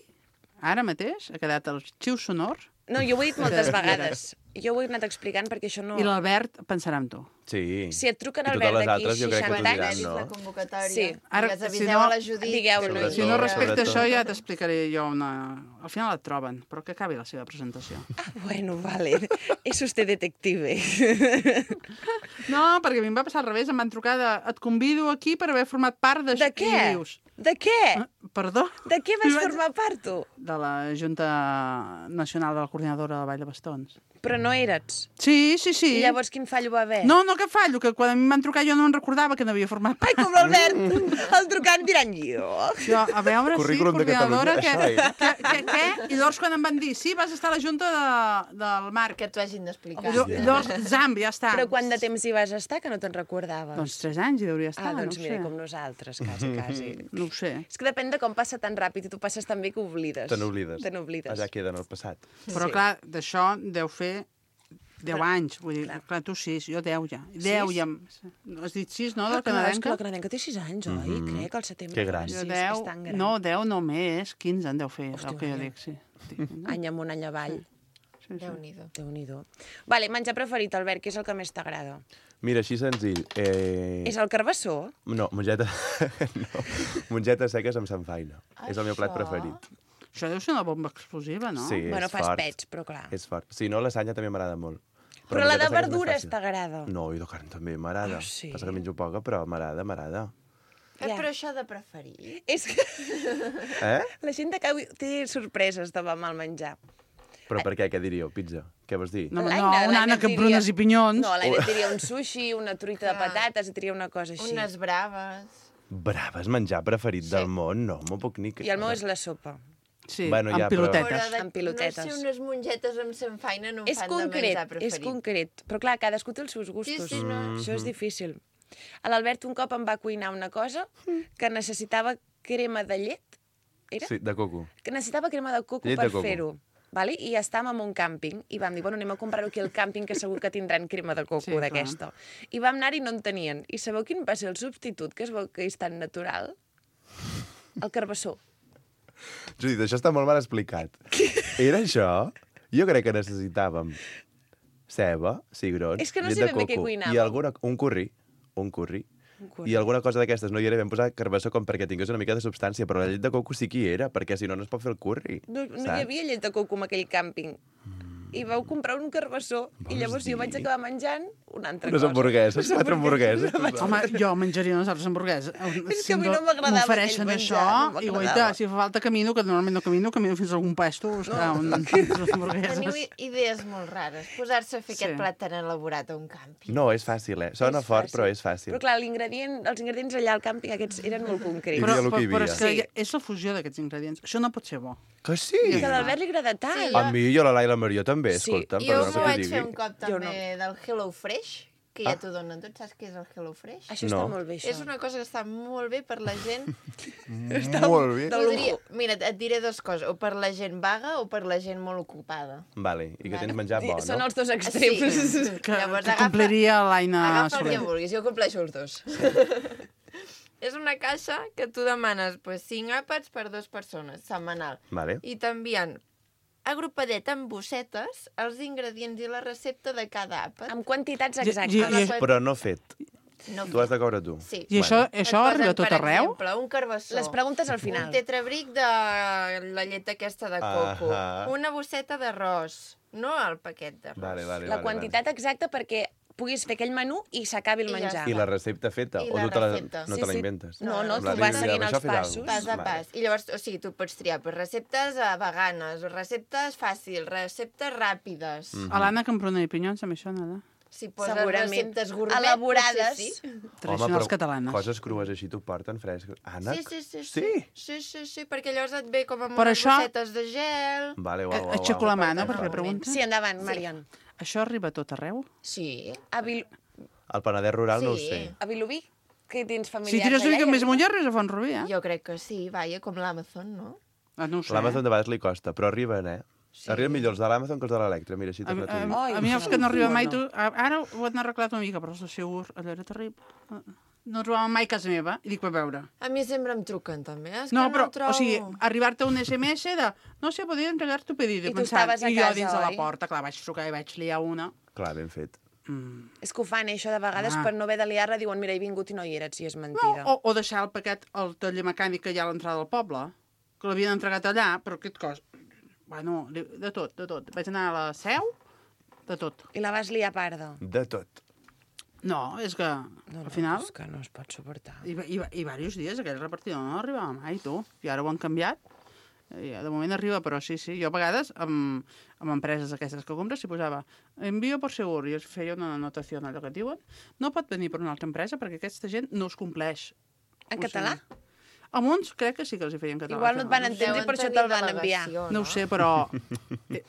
ara mateix, ha quedat arxiu sonor No, jo ho he dit moltes vegades. Jo ho he anat explicant perquè això no... i l'Albert pensarà en tu. Sí. Si et truquen I al totes Albert les d'aquí altres jo crec que t'ho seixanta diran, anys, no? La convocatòria. Sí. Ara, Digues, si aviseu no- a la Judit. Digueu-lo. que no hi Si no era. respecta Sobretot. això, ja t'explicaré jo una... Al final et troben, però que acabi la seva presentació. Ah, bueno, vale. És usted detective. No, perquè a mi em va passar al revés, em van trucar de... Et convido aquí per haver format part de... De què? I dius, De què? "Ah, perdó? De què vas I vaig- formar part, tu? De la Junta Nacional de la Coordinadora de Vall de Bastons. Però no eres. Sí, sí, sí. I llavors quin fallo va haver? No, no, que fallo, que quan a mi em van trucar jo no em recordava que no havia format part. Ai, com l'Albert, el trucant diran jo. Jo, a veure, sí, Currículum de coordinadora, que, Catalunya, que, que, que, i llavors quan em van dir, sí, vas estar a la Junta de, del Marc. Que t'ho hagin d'explicar. Jo, llavors, zam, ja està. Però quant de temps hi vas estar que no te'n recordaves? Doncs tres anys hi hauria estat, Ah, doncs no ho mira, sé. com nosaltres, quasi, quasi. No ho sé. És que depèn de com passa tan ràpid i tu passes tan bé que oblides. Te n'oblides. Te n'oblides. Allà queda en el passat. Però, Sí. clar, d'això deu fer deu anys. Vull dir, clar. clar, tu sis, jo deu ja. Deu ja. Has dit sis, no, del Ah, clar, és que canadenca? la canadenca té sis anys, oi? Mhm. Crec, al setembre. Que gran. Sí, Jo és, deu, és tan gran. no, deu no més, quinze en deu fer, és Hòstia, el que jo mira. dic, sí. Any amunt, any avall. Sí, sí. Déu-n'hi-do. Déu-n'hi-do. Vale, menjar preferit, Albert, què és el que més t'agrada? Mira, així senzill. Eh... És el carbassó? No, mongeta... no. Mongetes seques amb samfaina. És el meu plat Això. preferit. Això deu ser una bomba explosiva, no? Sí, Bueno, és fas fort. pets, però clar. És fort. Si no, lasanya també m'agrada molt. Però la de mongetes seques és més verdures fàcil. t'agrada? No, i de carn també m'agrada. Ah, sí? Passa que menjo poca, però m'agrada, m'agrada. Eh, Ja. però això de preferir... És que Eh? la gent de Cau té sorpreses de mal menjar. Però per què? Què diríeu? Pizza? Què vols dir? No, no, L'Aina- una l'Aina ànec amb diria- prunes i pinyons. No, l'Aina et diria un sushi, una truita de Clar. patates, et diria una cosa així. Unes braves... Braves, menjar preferit Sí. del món? No, m'ho puc ni... I el meu és la sopa. Sí, Bueno, amb ja, però- pilotetes. Però de, Amb pilotetes. No sé, unes mongetes amb samfaina no em És fan concret, de menjar és preferit. concret. Però clar, cadascú té els seus gustos. Sí, sí, no. Això és difícil. L'Albert un cop em va cuinar una cosa que necessitava crema de llet. Era? Sí, de coco. Que necessitava crema de coco Llet per de coco. fer-ho. Vale? I estàvem en un càmping i vam dir, bueno, anem a comprar-ho aquí al càmping que segur que tindran crema de coco Sí, clar. d'aquesta. I vam anar i no en tenien. I sabeu quin va ser el substitut, que es veu que és tan natural? El carbassó. Judit, això està molt mal explicat. Era això? Jo crec que necessitàvem ceba, cigrons, És que no llet sé de ben bé què coco cuinàvem. i alguna, un curri, un curri, Un curri. i alguna cosa d'aquestes no hi era, vam posar carbassó com perquè tingués una mica de substància, però la llet de coco sí que hi era, perquè si no, no es pot fer el curri. No, no hi saps? havia llet de coco en aquell càmping. I vau comprar un carbassó i Vols llavors jo vaig dir? acabar menjant una altra Unes cosa. hamburgueses, quatre hamburgueses. Home, jo menjaria unes altres hamburgueses. És que a mi no m'agradava M'ofereixen aquell això, menjar, no i m'agradava. guaita, si fa falta camino, que normalment no camino, camino fins a algun puesto a buscar un, unes Teniu hamburgueses. i- idees molt rares. Posar-se a fer Sí. aquest plat tan elaborat a un càmping. No, és fàcil, eh? Sona És fort, fàcil. però és fàcil. Però clar, l'ingredient, els ingredients allà al càmping aquests eren molt concrets. Hi Però, havia el però, que hi però havia. és que Sí. és la fusió d'aquests ingredients. Això no pot ser bo. Que sí? Que a l'Albert li agrada tant. Sí, A mi, jo, la Laila Maria també, Sí, escolta'm, Jo perdona m'ho que vaig t'ho fer un digui. cop Jo també del Hello Fresh, que ja t'ho donen tot. Saps què és el HelloFresh? Això No. està molt bé, això. És una cosa que està molt bé per la gent... Molt bé. Podria... Mira, et diré dues coses. O per la gent vaga o per la gent molt ocupada. Vale, i que tens menjar bo, Són no? els dos extrems. Sí. Que, Llavors, que agafa- compliria l'Aina Agafa el Soler. que vulguis, jo compleixo els dos. És una caixa que tu demanes pues, cinc àpats per dues persones, setmanal. Vale. I t'envien agrupadet amb bossetes els ingredients i la recepta de cada àpat. Amb quantitats I- exactes. i- A la i- web- Però no fet. No Tu has de cobrar tu. Sí. I això, Et això posen, arriba a tot per arreu? exemple, un carbassó. Les preguntes al final. Un tetrabric de la llet aquesta de coco. Ahà. Una bosseta d'arròs. No el paquet d'arròs. Vale, vale, La vale, quantitat exacta perquè puguis fer aquell menú i s'acabi el I ja menjar. Vale. I la recepta feta? I o la tu te la, recepta. no Sí, te la sí. inventes? No, no, En plan, tu vas mira, seguint això els fes alguna passos. cosa. Pas a Vale. pas. I llavors, o sigui, tu pots triar pues, receptes eh, veganes, receptes fàcils, receptes ràpides. Mm. A l'Anna Camprona i Pinyons també això nada. Si poses Segurament. receptes gourmet, Elaborades. potser sí. Tradicionals catalanes. coses crues així t'ho porten fresques. Ànec? Sí, sí, sí, sí. Sí? Sí, sí, sí, perquè llavors et ve com amb Per unes això- bossetes de gel. Vale, uau, Eh, uau, Aixeco uau. la mà, no?, per fer Totalment. pregunta. Sí, endavant, Marion. Això arriba a tot arreu? Sí. A, Vil El Penedès rural no ho Sí. sé. a Vilobí, que tens Si familiars tires una allà, mica ja més dius? amunt ja arribes a Font-rubí, eh? Jo crec que sí, vaja, com l'Amazon, no? Ah, no ho sé. L'Amazon de vegades li costa, però arriben, eh? Sí. Arriben millor els de l'Amazon que els de l'Electra, mira, així A, te'n a, la a, Ai, a mi els no, que no arriben mai... no. Tu, a- ara ho han arreglat una mica, però els de Segur, allò era terrible. No trobaven mai a casa meva. I dic, per veure. A mi sempre em truquen, també. És No, que però, no trobo... o sigui, arribar-te un S M S de no sé, podria entregar tu pedido. I tu pensant, estaves a I jo casa, dins de la oi? porta, clar, vaig trucar i vaig liar una. Clar, ben fet. Mm. És que ho fan, eh, això de vegades, Ah. per no haver de liar-la, diuen, mira, he vingut i no hi eres, i és No, mentida. o, o deixar el paquet al taller mecànic que hi ha a l'entrada del poble, que l'havien entregat allà, però aquest cos... Bueno, de de tot, de tot. Vaig anar a la seu, de tot. I la vas liar parda. De tot. No, és que, No, al final... És que no es pot suportar. I, i, i diversos dies aquell repartidor no arribava mai, tu. I ara ho han canviat. I de moment arriba, però sí, sí. Jo a vegades, amb, amb empreses aquestes que compres, s'hi posava envio per segur, i es feia una anotació allò que et diuen. No pot venir per una altra empresa perquè aquesta gent no es compleix. En O català? sigui, a uns crec que sí que els hi feien català. Igual no et van sé. entendre i per això te'l van enviar. No ho sé, però... eh,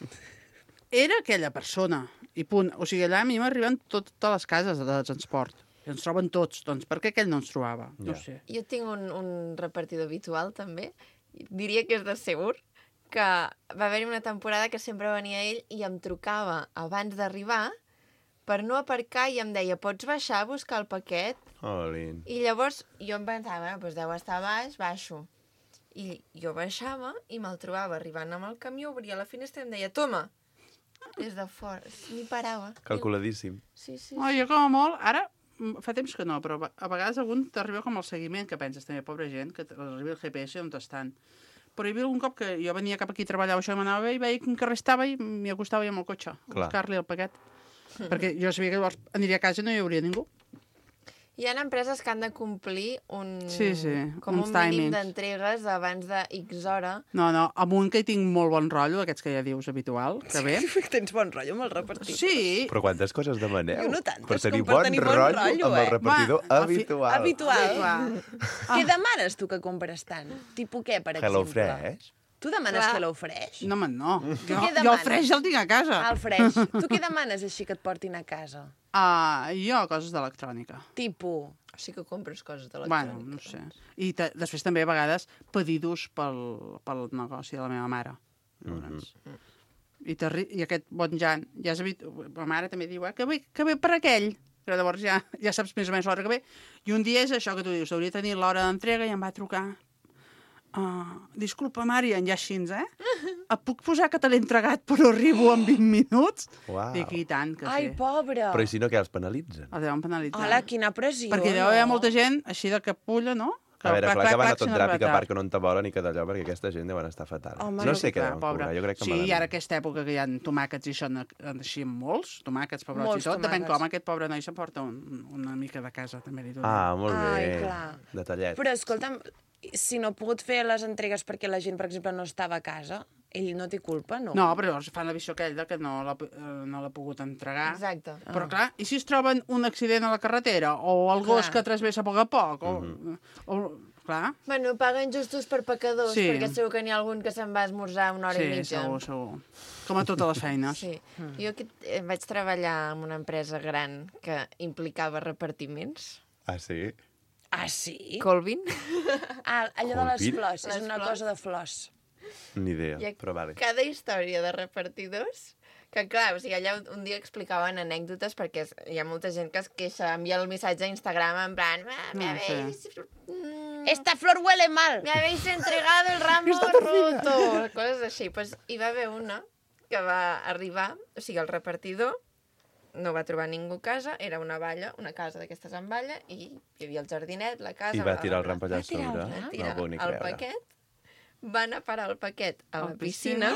Era aquella persona, i punt. O sigui, allà a mi m'arriben tot, totes les cases de transport. I ens troben tots, doncs per què aquell no ens trobava? No Ja. ho sé. Jo tinc un, un repartidor habitual, també. Diria que és de Segur, que va haver-hi una temporada que sempre venia ell i em trucava abans d'arribar per no aparcar i em deia, pots baixar a buscar el paquet? Olin. I llavors jo em pensava, bueno, doncs deu estar a baix, baixo. I jo baixava i me'l trobava arribant amb el camió, obria la finestra i em deia, toma, des de fora. Ni parava. Calculadíssim. Sí, sí. Oh, jo com a molt, ara, mm, fa temps que no, però a vegades algun t'arriba com el seguiment, que penses també, pobra gent, que t'arriba el G P S on estan. Però hi havia algun cop que jo venia cap aquí a treballar, això m'anava bé, i veia quin carrer estava i m'hi acostava i amb el cotxe, a Clar. buscar-li el paquet. Perquè jo sabia que llavors aniria a casa i no hi hauria ningú. Hi ha empreses que han de complir un, Sí, sí, com uns un mínim timings. d'entregues abans de X hora. No, no, amb un que hi tinc molt bon rotllo, aquests que ja dius habitual, que ve. Tens bon rotllo amb el repartit. Sí, Però quantes coses demaneu? Jo no tantes, per tenir com per bon, tenir bon rotllo, rotllo, amb el eh? repartidor Va, a fi- habitual. Habitual. Què demanes tu que compres tant? Tipo què, per Hello exemple? Fresh. Tu demanes Clar. Hello Fresh? no, man, no. Jo, què jo el demanes? freix el tinc a casa. Ah, el Fresh. Tu què demanes així que et portin a casa? Uh, jo, coses d'electrònica. Tipo... Així que compres coses de Bueno, l'electrònica. no sé. I te, després també a vegades pedidos pel, pel negoci de la meva mare. Llavors. Mhm. I, t'arri- I aquest bon Jan, ja és habit... La mare també diu, eh, que ve, que ve per aquell. Però llavors ja, ja saps més o menys l'hora que ve. I un dia és això que tu dius, hauria de tenir l'hora d'entrega i em va trucar. Uh, disculpa, Marian, ja així, eh? Et puc posar que te l'he entregat però arribo en vint minuts? Uau. Dic, i tant que Ai, sí. pobre! Però i si no, què els penalitzen? El deuen penalitzar. Hola, quina pressió, Perquè deu haver no? molta gent així de capulla, no? A veure, clar que van a tot sin drap i que arribar part que no en te volen i que d'allò, perquè aquesta gent deuen estar fatal. Home, no no, sé què Clar, deuen pobre. cobrar, jo crec que Sí, malament. i ara aquesta època que hi ha tomàquets i això en- així en molts, tomàquets, pebrots Molts i tot, depèn tomàquets. com aquest pobre noi s'emporta un, una mica de casa, també li dono. Ah, molt Ai, bé. clar. Detallet. Però, escolta'm, si no ha pogut fer les entregues perquè la gent, per exemple, no estava a casa, ell no té culpa, no? No, però llavors fan la visió aquella que no l'ha eh, no l'ha pogut entregar. Exacte. Però clar, i si es troben un accident a la carretera o el gos Clar. que travessa a poc a poc? O, Mhm. o, clar. Bueno, paguen justos per pecadors, Sí. perquè segur que n'hi ha algun que se'n va esmorzar una hora Sí, i mitja. segur, segur. Com a totes les feines. Sí. Mm. Jo aquí eh, vaig treballar en una empresa gran que implicava repartiments. Ah, sí? Ah, sí? Colvin. Ah, allò de les Colvin? flors, és Les una flors. cosa de flors. Ni idea, I però vale. cada història de repartidors, que clar, o sigui, allà un dia explicaven anècdotes perquè es- hi ha molta gent que es queixa, envia el missatge a Instagram en plan, "Ah, me Ah, habéis... sí. mm, Esta flor huele mal. me habéis entregado el ramo roto, coses així. Pues hi va haver una que va arribar, o sigui, el repartidor no va trobar ningú a casa, era una valla, una casa d'aquestes amb valla, i hi havia el jardinet, la casa... I va bla, tirar el bla, ram bla. allà a Va tirar el sobre. ram, No tirar ho puc ni el creure. paquet, va anar a parar el paquet a la Al piscina,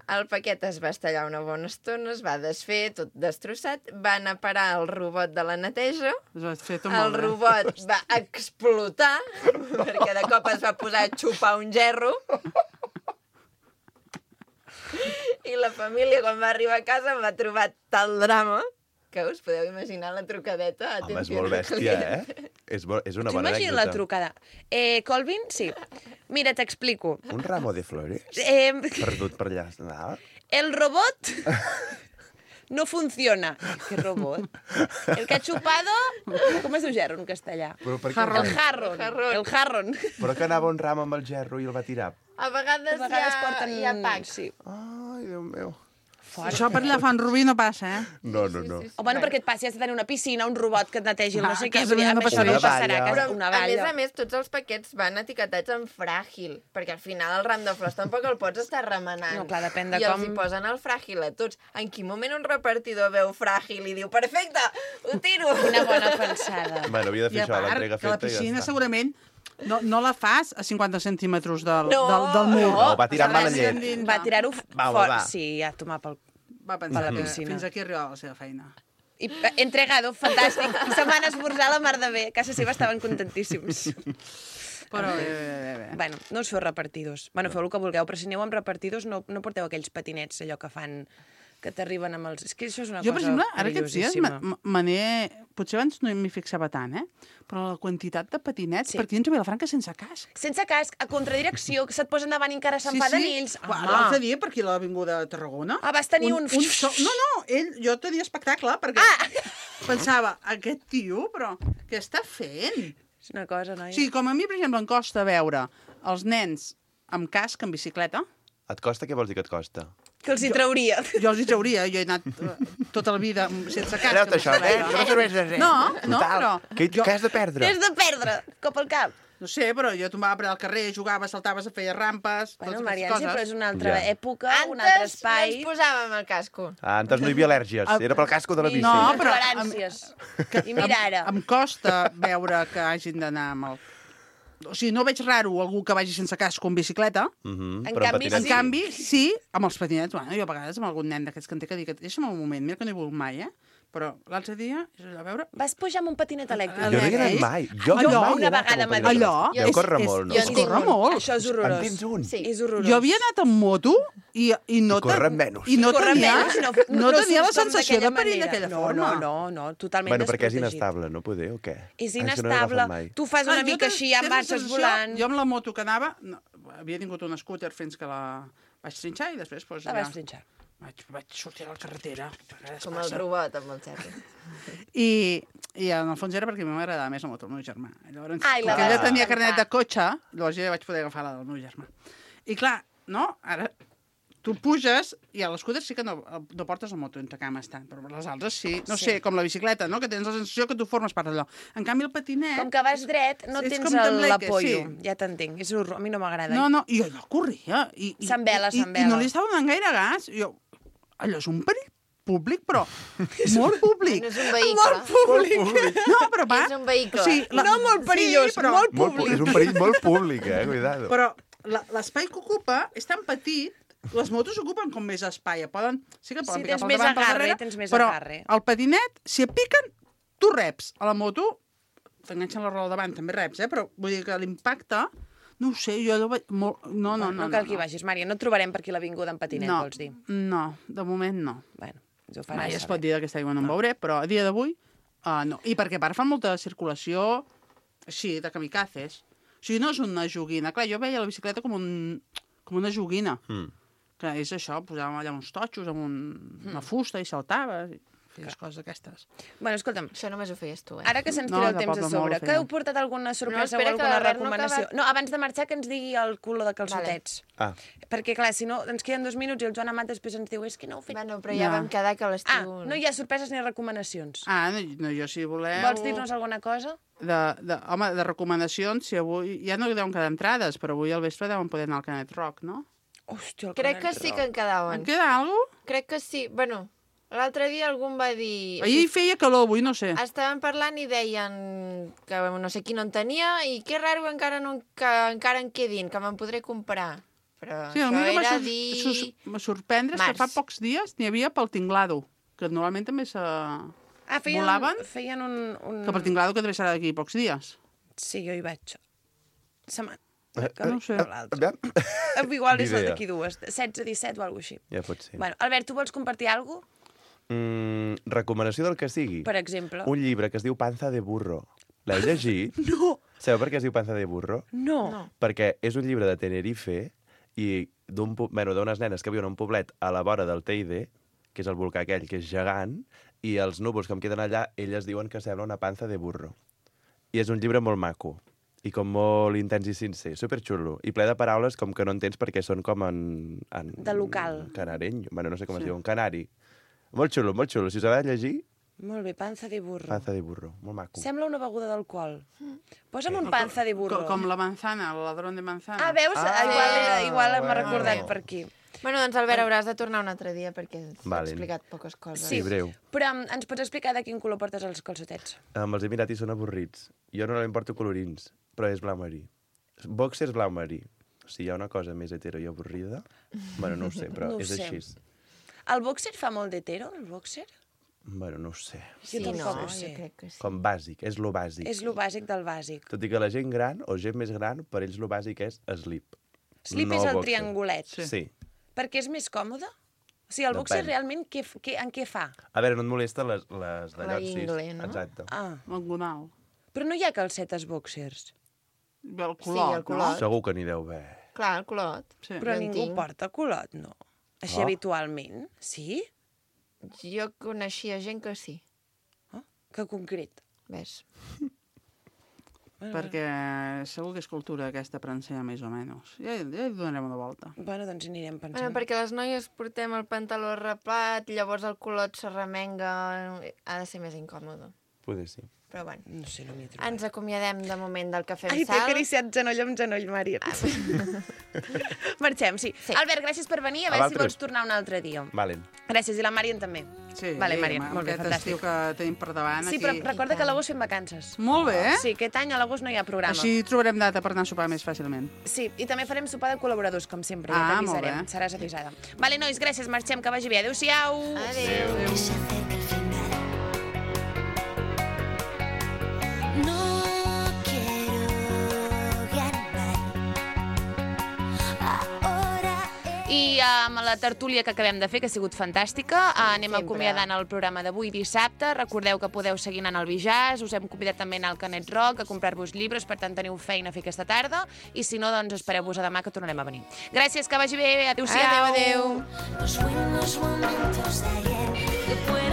el paquet es va estallar una bona estona, es va desfer, tot destrossat, va anar a parar el robot de la neteja, Es va fer tot el molt bé. robot va explotar, perquè de cop es va posar a xupar un gerro, i la família, quan va arribar a casa, va trobar tal drama que us podeu imaginar la trucadeta. Home, és atenció molt al bèstia, client. eh? És, bo, és una T'ho bona imagines la anècdota. trucada? Eh, Colvin, sí. Mira, t'explico. Un ramo de flores? Eh, Perdut per allà. No? el robot no funciona. ¿Qué robot? El que ha chupado... Com es diu gerro en castellà? Però per què? Jarrón. El jarron. Jarrón. El jarron. Però que anava un ram amb el gerro i el va tirar. A vegades, A vegades hi, ha, porten... hi ha packs. Sí. Ai, Déu meu. Això per allà fan Rubí no passa, eh? No, no, no. O bueno, perquè et passi, has de tenir una piscina, un robot que et netegi el Ah, no sé a què. casa Vull dir, meva no amb això passaria. no passarà. Una a valla. casa- Una A més valla. a més, tots els paquets van etiquetats en fràgil, perquè al final el ram de flors tampoc el pots estar remenant. No, clar, depèn de I com- els hi posen el fràgil a tots. En quin moment un repartidor veu fràgil i diu, perfecte, ho tiro. Quina bona pensada. Bueno, havia de I fer a això, part, l'entrega que la feta i ja piscina està. segurament no, no la fas a cinquanta centímetres del, No, del, del mur. No, va tirar mal Saps? llet. Endins, Va no. tirar-ho Va, fort. va. Sí, a tomar pel... Va pensar a la que piscina. fins aquí arribava la seva feina. I eh, entregado, fantàstic. Se van esmorzar la mar de bé. A casa seva estaven contentíssims. Però bé, bé, bé, bé. Bueno, no us feu repartidors. Bueno, feu el que vulgueu, però si aneu amb repartidors no, no porteu aquells patinets, allò que fan que t'arriben amb els... És que això és una Jo, per cosa exemple, ara aquests dies perillosíssima. me- me n'he... Potser abans no m'hi fixava tant, eh? Però la quantitat de patinets, Sí. sí. perquè hi ha a Vilafranca sense casc. Sense casc, a contradirecció, que se't posen davant i encara s'enfaden ells. Uà, L'altre dia, per aquí a l'Avinguda de Tarragona... Ah, vas tenir un... un so... No, no, ell, jo tenia espectacle, perquè Ah! pensava, aquest tio, però què està fent? És una cosa, noia. O sigui, com a mi, per exemple, em costa veure els nens amb casc, en bicicleta, Et costa? Què vols dir que et costa? Que els hi trauria. jo els hi trauria, jo he anat eh, tota la vida sense casc. Treu-te amb això, eh? bicicleta. Que no serveix de res. No, no, Total. però... Què, jo... què has de perdre? Tens de perdre, cop al cap. No sé, però jo tombava per al carrer, jugava, saltaves, feia rampes, Bueno, totes Marian, aquestes sí, però coses. és una altra Ja. època, un altre Antes no espai. ens posàvem el casco. Ah, antes no hi havia al·lèrgies. Era pel casco de la bici. No, No, però toleràncies. I mira ara. Em costa veure que hagin d'anar amb el... O sigui, no veig raro algú que vagi sense casc o amb bicicleta. Mhm, En però amb canvi, patinets En sí. canvi, sí, amb els patinets. Bueno, jo a vegades amb algun nen d'aquests que en té que dir que deixa'm un moment, mira que no he volgut mai, eh? Però l'altre dia, és allò, a veure... Vas pujar amb un patinet elèctric. Jo no hi he anat mai. Jo Allò, mai he una anat vegada amb un m'ha dit. patinets. Allò Deu és- córrer és- molt, no? és en tinc corre un. molt. Això és En horrorós. tens un? Sí. És horrorós. Jo havia anat amb moto i, i no... I corren menys. I no Corre tenia, menys, no, no, no tenia la surts com sensació de d'aquella perill manera. d'aquella no, forma. No, no, no, totalment Bueno, perquè és desprotegit. inestable, no poder, o què? És Ah, que no l'he inestable. agafat mai. Tu fas Clar, una jo mica tens- així, ja tens la marxes sensació- volant. Jo amb la moto que anava, no, havia tingut un scooter fins que la vaig trinxar i després... Doncs, La vas trinxar. Vaig, vaig sortir a la carretera. a vegades Com el passa. robot amb el xerri. I, I en el fons era perquè a mi m'agradava més la moto del meu germà. Llavors, Ai, la perquè ella vas tenia agafar. carnet de cotxe, llavors jo ja vaig poder agafar la del meu germà. I clar, no? Ara tu puges i a l'escúter sí que no, no portes la moto entre cames tant, però les altres sí. No Sí. sé, com la bicicleta, no? Que tens la sensació que tu formes part d'allò. En canvi, el patinet... Com que vas dret, no és tens com el- tembleque, l'apollo. sí. Ja t'entenc. És horror. A mi no m'agrada. No, no, i allò corria. I, i, S'envela, i, s'envela. I no li estava donant gaire gas. I jo, allò és un perill públic, però molt públic. No és un vehicle. públic. No, però va... És un vehicle. O sigui, la... No molt perillós, sí, però... molt Molt, públic. és un perill molt públic, eh? Cuidado. Però la- l'espai que ocupa és tan petit, les motos ocupen com més espai. Poden, sí que poden Sí, picar tens pel més davant, pel agarre, darrere, tens més però agarre. el patinet, si et piquen, tu reps. A la moto t'enganxen la roda davant, també reps, eh? Però vull dir que l'impacte, no ho sé, jo allò vaig... Molt... No, no, no. No cal que hi vagis, Mària. No et trobarem per aquí l'avinguda en patinet, no, vols dir. No, de moment no. Bueno, ens ho faràs Mai es saber. pot dir d'aquesta aigua no en veuré, però a dia d'avui uh, no. I perquè a part fan molta circulació així, de kamikazes. O sigui, no és una joguina. Clar, jo veia la bicicleta com, un, com una joguina. Mm. Que és això, posàvem allà uns totxos amb un, una fusta i saltaves, i feies coses aquestes. Bueno, escolta'm, Això només ho feies tu, eh? ara que se'ns No, tira el de temps a poble molt sobre, ho que feia. heu portat alguna sorpresa espera, o que alguna l'Albert no ha recomanació? acabat. No, abans de marxar que ens digui el color de calçotets. Ah, Perquè, clar, si no, ens queden dos minuts i el Joan Amat després ens diu és que no ho he fet. Bueno, però ja No. vam quedar que a Ah, l'estiu... no hi ha sorpreses ni recomanacions. Ah, no, no jo si voleu... Vols dir-nos alguna cosa? De, de, home, de recomanacions, si avui... Ja no deuen quedar entrades, però avui al vespre deuen poder anar al Canet Rock, no? Hòstia, el Crec que Canet sí Rock. que en quedaven. En queda alguna cosa? Crec que sí. Bueno, l'altre dia algú em va dir... Ahir feia calor, avui no sé. Estaven parlant i deien que no sé qui no en tenia i que raro encara, no, que encara en quedin, que me'n podré comprar. Però Sí, a això mi que era m'ha dir... sur sur sorprendre és que març. fa pocs dies n'hi havia pel Tinglado, que normalment també se... Ah, feien, volaven? feien un... un... Que pel Tinglado que també serà d'aquí pocs dies. Sí, jo hi vaig. Setmana. No ho sé. aviam. Igual és Ni la idea. d'aquí dues. setze, disset o alguna cosa així. Ja pot ser. Bueno, Albert, tu vols compartir alguna cosa? Mm, recomanació del que sigui. Per exemple? Un llibre que es diu Panza de burro. L'heu llegit? No! Sabeu per què es diu Panza de burro? No. No. Perquè és un llibre de Tenerife i d'un pu- bueno, d'unes nenes que viuen a un poblet a la vora del Teide, que és el volcà aquell que és gegant, i els núvols que em queden allà, elles diuen que sembla una panza de burro. I és un llibre molt maco, i com molt intens i sincer, superxulo, i ple de paraules com que no entens perquè són com en... en De local. Canareny, bueno, no sé com Sí. es diu, en canari. Molt xulo, molt xulo. Si us ha de llegir, Molt bé, panza de burro. panza de burro, molt maco. Sembla una beguda d'alcohol. Posa'm un Com- panza de burro. Com, com la manzana, el ladrón de manzana. Ah, veus? Ah, igual igual m'ha bueno. recordat per aquí. Bueno, doncs, Albert, hauràs de tornar un altre dia perquè s'ha Vale. explicat poques coses. Sí, breu. Però um, ens pots explicar de quin color portes els calçotets? Amb els Emiratis són avorrits. Jo no li porto colorins, però és blau marí. Boxers blau marí. Si hi ha una cosa més hetero i avorrida, bueno, no ho sé, però No ho és sé. així. El boxer fa molt d'hetero, el boxer? Bueno, no ho sé. Sí, Jo tampoc no, ho sé. jo crec que sí. Com bàsic, és lo bàsic. És lo bàsic del bàsic. Tot i que la gent gran, o gent més gran, per ells lo bàsic és slip. Slip no és el boxer. triangulet. Sí. sí. Perquè és més còmode? O sigui, el boxer Depèn. realment què, f- què, en què fa? A veure, no et molesta les, les La d'allò, sí. ingle, no? Exacte. Ah, L'engonal. però no hi ha calcetes boxers. El Sí, color, el color. Segur que n'hi deu haver. Clar, el colot. No? Sí. Però en ningú tinc. porta culot, no. Així Oh. habitualment, sí? Jo coneixia gent que sí. Que concret. Ves? Perquè segur que és cultura aquesta prancera, més o menys. Ja, ja hi donarem una volta. Bueno, doncs hi anirem pensant. Bueno, perquè les noies portem el pantaló arrapat, llavors el colot s'arremenga... Ha de ser més incòmode. Poder sí. Però bueno. No sé, no m'hi he trobat. Ens acomiadem de moment del Cafè Ai, amb t'he Sal. acariciat genoll amb genoll, Mària. Marxem, sí. Sí. Albert, gràcies per venir. A A veure si vosaltres. vols tornar un altre dia. Valen. Gràcies, i la Màrian també. Sí, Vale, sí, Màrian, amb molt bé, aquest fantàstic. estiu que tenim per davant Sí, aquí. però recorda que a l'agost fem vacances. Molt bé, eh? Sí, aquest any a l'agost no hi ha programa. Així trobarem data per anar a sopar més fàcilment. Sí, i també farem sopar de col·laboradors, com sempre, Ah, ja molt t'avisarem. bé. Seràs avisada. Vale, nois, gràcies, marxem, que vagi bé. Adéu-siau. Adéu. Que se acerca el final. No quiero ganar. Ahora I amb la tertúlia que acabem de fer, que ha sigut fantàtica, anem Sempre. acomiadant el programa d'avui dissabte. Recordeu que podeu seguir anant al Bijàs, us hem convidat també a anar al Canet Rock, a comprar-vos llibres, per tant teniu feina a fer aquesta tarda, i si no, doncs espereu-vos a demà que tornarem a venir. Gràcies, que vagi bé, adéu-siau. Adéu, adéu. los buenos momentos de ayer que pueden